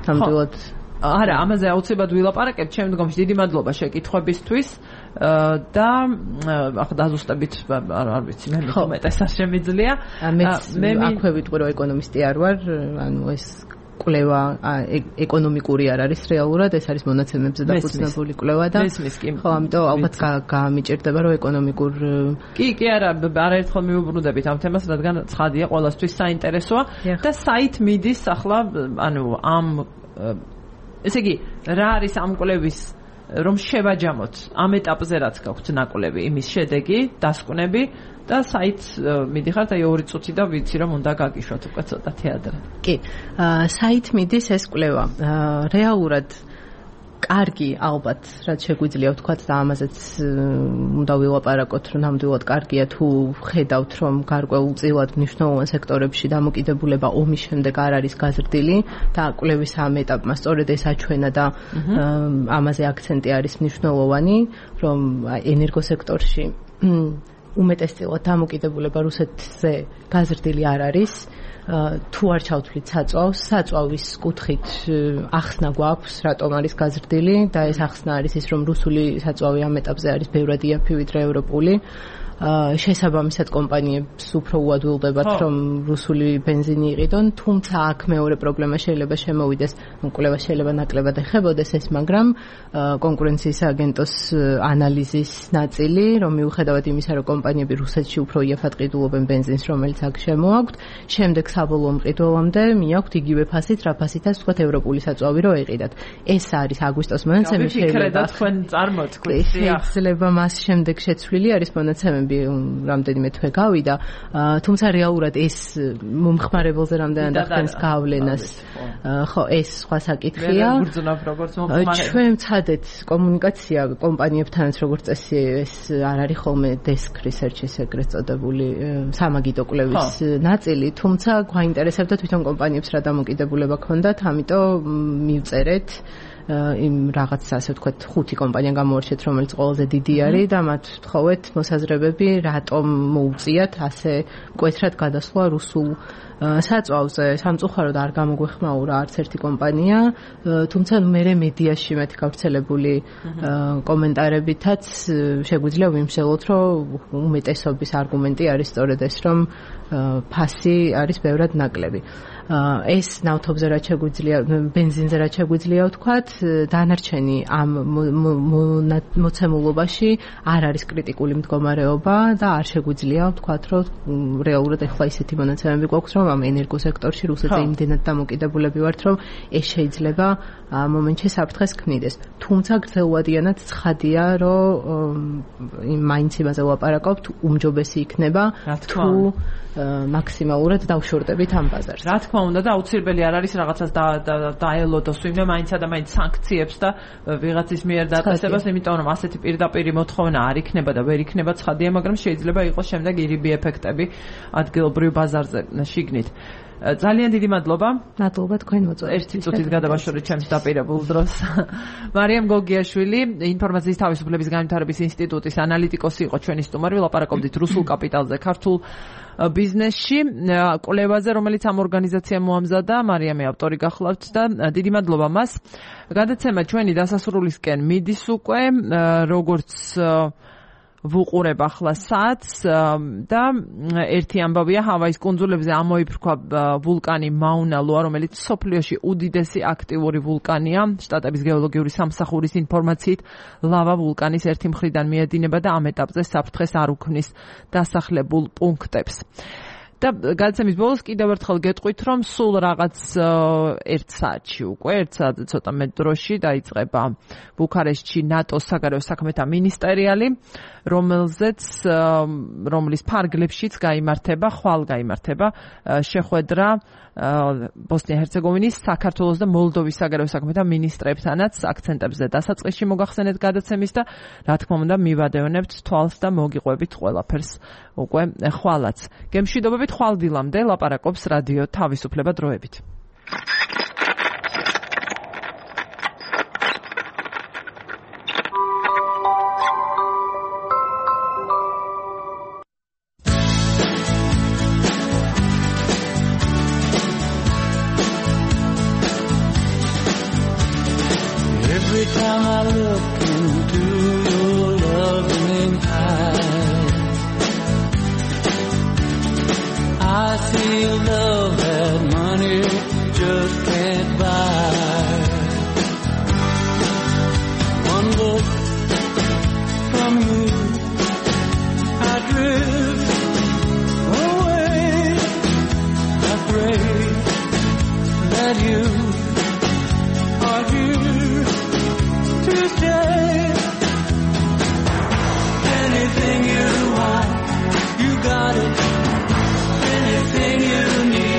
ნამდვილად არა, ამაზე აუცილებლად ვილაპარაკებთ შემდგომში. დიდი მადლობა შეკითხვებისთვის და ახლა დაზუსტებით არ ვიცი, მე მეტეს არ შემიძლია. მე აქვე ვიტყვი, რომ ეკონომისტი არ ვარ, ანუ ეს კვლევა ეკონომიკური არ არის რეალურად, ეს არის მონაცემებზე დაფუძნებული კვლევა და ხო, ამიტომ ალბათ გამიჭირდება, რომ ეკონომიკურ კი, კი არა, არაერთხელ მივუბრუნდებით ამ თემას, რადგან ცხადია, ყველასთვის საინტერესოა და საით მიდის ახლა, ანუ ამ ესე იგი, რა არის ამ კვლევის რომ შევაჯამოთ ამ ეტაპზე რაც გაქვთ ნაკვლევი, იმის შედეგი, დასკვნები და საით მიდიხართ აი ორი წუთი და ვიცი რომ უნდა გაგიშვათ უკვე ცოტათი ადრე. კი, საით მიდის ეს კვლევა. რეალურად კარგი ალბათ, რაც შეგვიძლია ვთქვათ და ამაზეც უნდა ვილაპარაკოთ, რომ ნამდვილად კარგია თუ ხედავთ, რომ გარკვეულწილად მნიშვნელოვან სექტორებში დამოკიდებულება ომის შემდეგ არ არის გაზრდილი და კვლევის ამ ეტაპმა სწორედ ეს აჩვენა და ამაზე აქცენტი არის მნიშვნელოვანი, რომ ენერგოსექტორში უმეტესწილად დამოკიდებულება რუსეთზე გაზრდილი არ არის. თუ არ ჩავთვლით საწვავს, საწვავის კუთხით ახსნა გვაქვს, რატომ არის გაზრდილი და ეს ახსნა არის ის, რომ რუსული საწვავი ამ ეტაპზე არის ბევრად იაფი ვიდრე ევროპული. შესაბამისად კომპანიებს უფრო უადვილდებათ, რომ რუსული ბენზინი იყიდონ, თუმცა აქ მეორე პრობლემა შეიძლება შემოვიდეს, კვლევა შეიძლება ნაკლებად ეხებოდეს ეს, მაგრამ კონკურენციის აგენტოს ანალიზის ნაწილი, რომ მიუხედავად იმისა, რომ კომპანიები რუსეთში უფრო იაფად ყიდულობენ ბენზინს, რომელიც აქ შემოაქვთ, შემდეგ საბოლოო მყიდველამდე მიაქვთ იგივე ფასით, რა ფასითაც თქვათ ევროპული საწვავი რო ეყიდათ. ეს არის აგვისტოს მონაცემები, შეიძლება თქვენ წარმოთქვით, შეიძლება მას შემდეგ შეცვლილი არის მონაცემები ნამუშევრები რამდენიმე თვე გავიდა, თუმცა რეალურად ეს მომხმარებელზე რამდენად ახდენს გავლენას, ხო, ეს სხვა საკითხია. ჩვენ ვცადეთ კომუნიკაცია კომპანიებთანაც, როგორც წესი, ეს არ არის ხოლმე desk research-ის ეგრეთ წოდებული სამაგიდო კვლევის ნაწილი, თუმცა გვაინტერესებდა თვითონ კომპანიებს რა დამოკიდებულება ქონდათ, ამიტომ მივწერეთ იმ რაღაც ასე ვთქვათ ხუთი კომპანია გამოვარჩეთ, რომელიც ყველაზე დიდი არის და მათ ვთხოვეთ მოსაზრებები, რატომ მოუწიათ ასე მკვეთრად გადასვლა რუსულ საწვავზე. სამწუხაროდ არ გამოგვეხმაურა არც ერთი კომპანია, თუმცა მე მედიაში მეთქი გავრცელებული კომენტარებითაც შეგვიძლია ვიმსჯელოთ, რომ უმეტესობის არგუმენტი არის სწორედ ეს, რომ ფასი არის ბევრად ნაკლები. ეს ნავთობზე რაც შეგვიძლია, ბენზინზე რაც შეგვიძლია ვთქვათ, დანარჩენი ამ მოცემულობაში არ არის კრიტიკული მდგომარეობა და არ შეგვიძლია ვთქვათ, რომ რეალურად ეხლა ისეთი მონაცემები გვაქვს, რომ ამ ენერგოსექტორში რუსეთზე იმდენად დამოკიდებულები ვართ, რომ ეს შეიძლება ამ მომენტში საფრთხეს ქმნიდეს. თუმცა გრძელვადიანად ცხადია, რომ მაინც იმაზე ვლაპარაკობთ, უმჯობესი იქნება თუ მაქსიმალურად დავშორტებით ამ ბაზარს. რა თქმა უნდა და აუცილებელი არ არის რაღაცას დაელოდოს, ვინმე მაინც და მაინც სანქციებს და ვიღაცის მიერ დაწესებას, იმიტომ რომ ასეთი პირდაპირი მოთხოვნა არ იქნება და ვერ იქნება ცხადია, მაგრამ შეიძლება იყოს შემდეგ ირიბი ეფექტები ადგილობრივ ბაზარზე შიგნით. ძალიან დიდი მადლობა. მადლობა თქვენ მოწვევით. ერთი წუთით გადავაშორეთ ჩემს დაპირებულ დროს. მარიამ გოგიაშვილი, ინფორმაციის თავისუფლების განვითარების ინსტიტუტის ანალიტიკოსი იყო ჩვენი სტუმარი, ვლაპარაკობდით რუსულ კაპიტალზე, ქართულ ბიზნესში, კვლევაზე, რომელიც ამ ორგანიზაციამ მოამზადა, მარიამი ავტორი გახლავთ და დიდი მადლობა მას. გადაცემა ჩვენი დასასრულისკენ მიდის უკვე, როგორც ვუყურებ ახლა საათს და ერთი ამბავია, ჰავაის კუნძულებზე ამოიფრქვა ვულკანი მაუნა ლოა, რომელიც მსოფლიოში უდიდესი აქტიური ვულკანია. შტატების გეოლოგიური სამსახურის ინფორმაციით, ლავა ვულკანის ერთი მხრიდან მიედინება და ამ ეტაპზე საფრთხეს არ უქმნის დასახლებულ პუნქტებს. და გადაცემის ბოლოს კიდევ ერთხელ გეტყვით, რომ სულ რაღაც ერთ საათში უკვე, ერთ საათზე ცოტა მეტ დროში დაიწყება ბუქარესტში ნატოს საგარეო საქმეთა მინისტერიალი, რომელზეც რომლის ფარგლებშიც გაიმართება, ხვალ გაიმართება შეხვედრა ბოსნია-ჰერცეგოვინის, საქართველოს და მოლდოვის საგარეო საქმეთა მინისტრებთანაც. აქცენტებზე დასაწყისში მოგახსენეთ გადაცემის და რა თქმა უნდა მივადევნებთ თვალს და მოგიყვებით ყველაფერს უკვე ხვალაც. გემშვიდობებით ხვალ დილამდე ლაპარაკობს რადიო თავისუფლება დროებით. Every time I look into your loving eyes, I see love that money just can't buy. One look from you, I drift away. I pray that you are here to stay. Anything you want, you got it. Anything you need.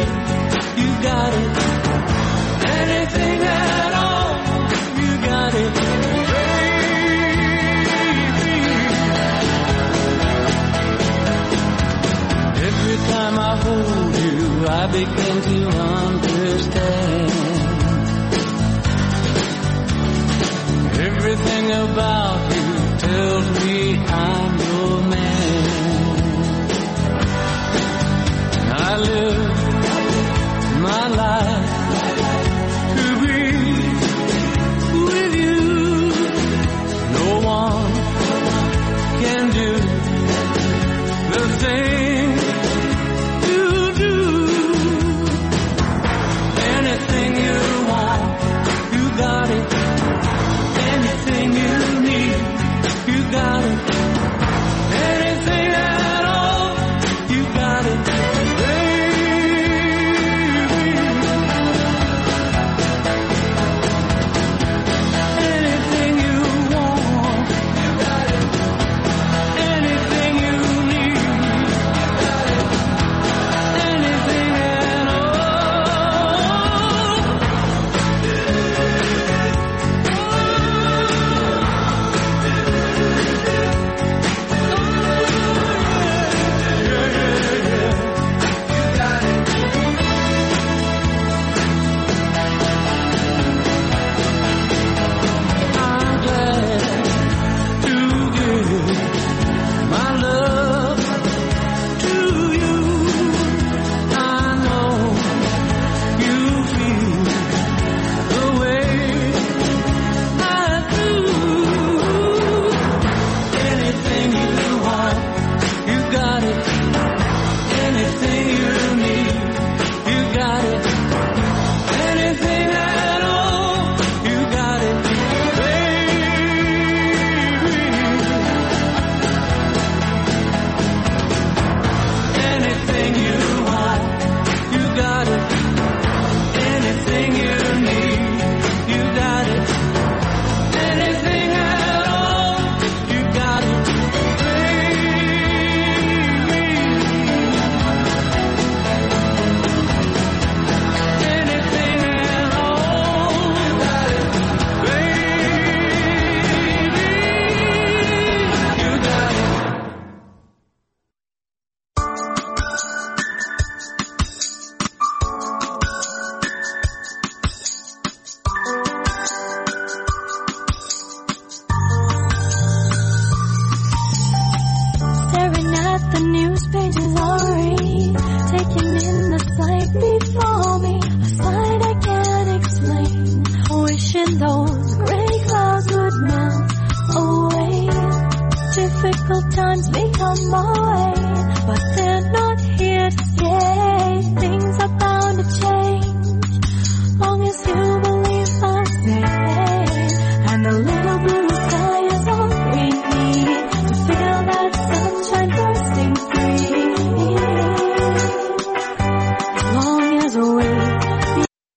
those gray clouds would melt away. Difficult times may come my way, but they're not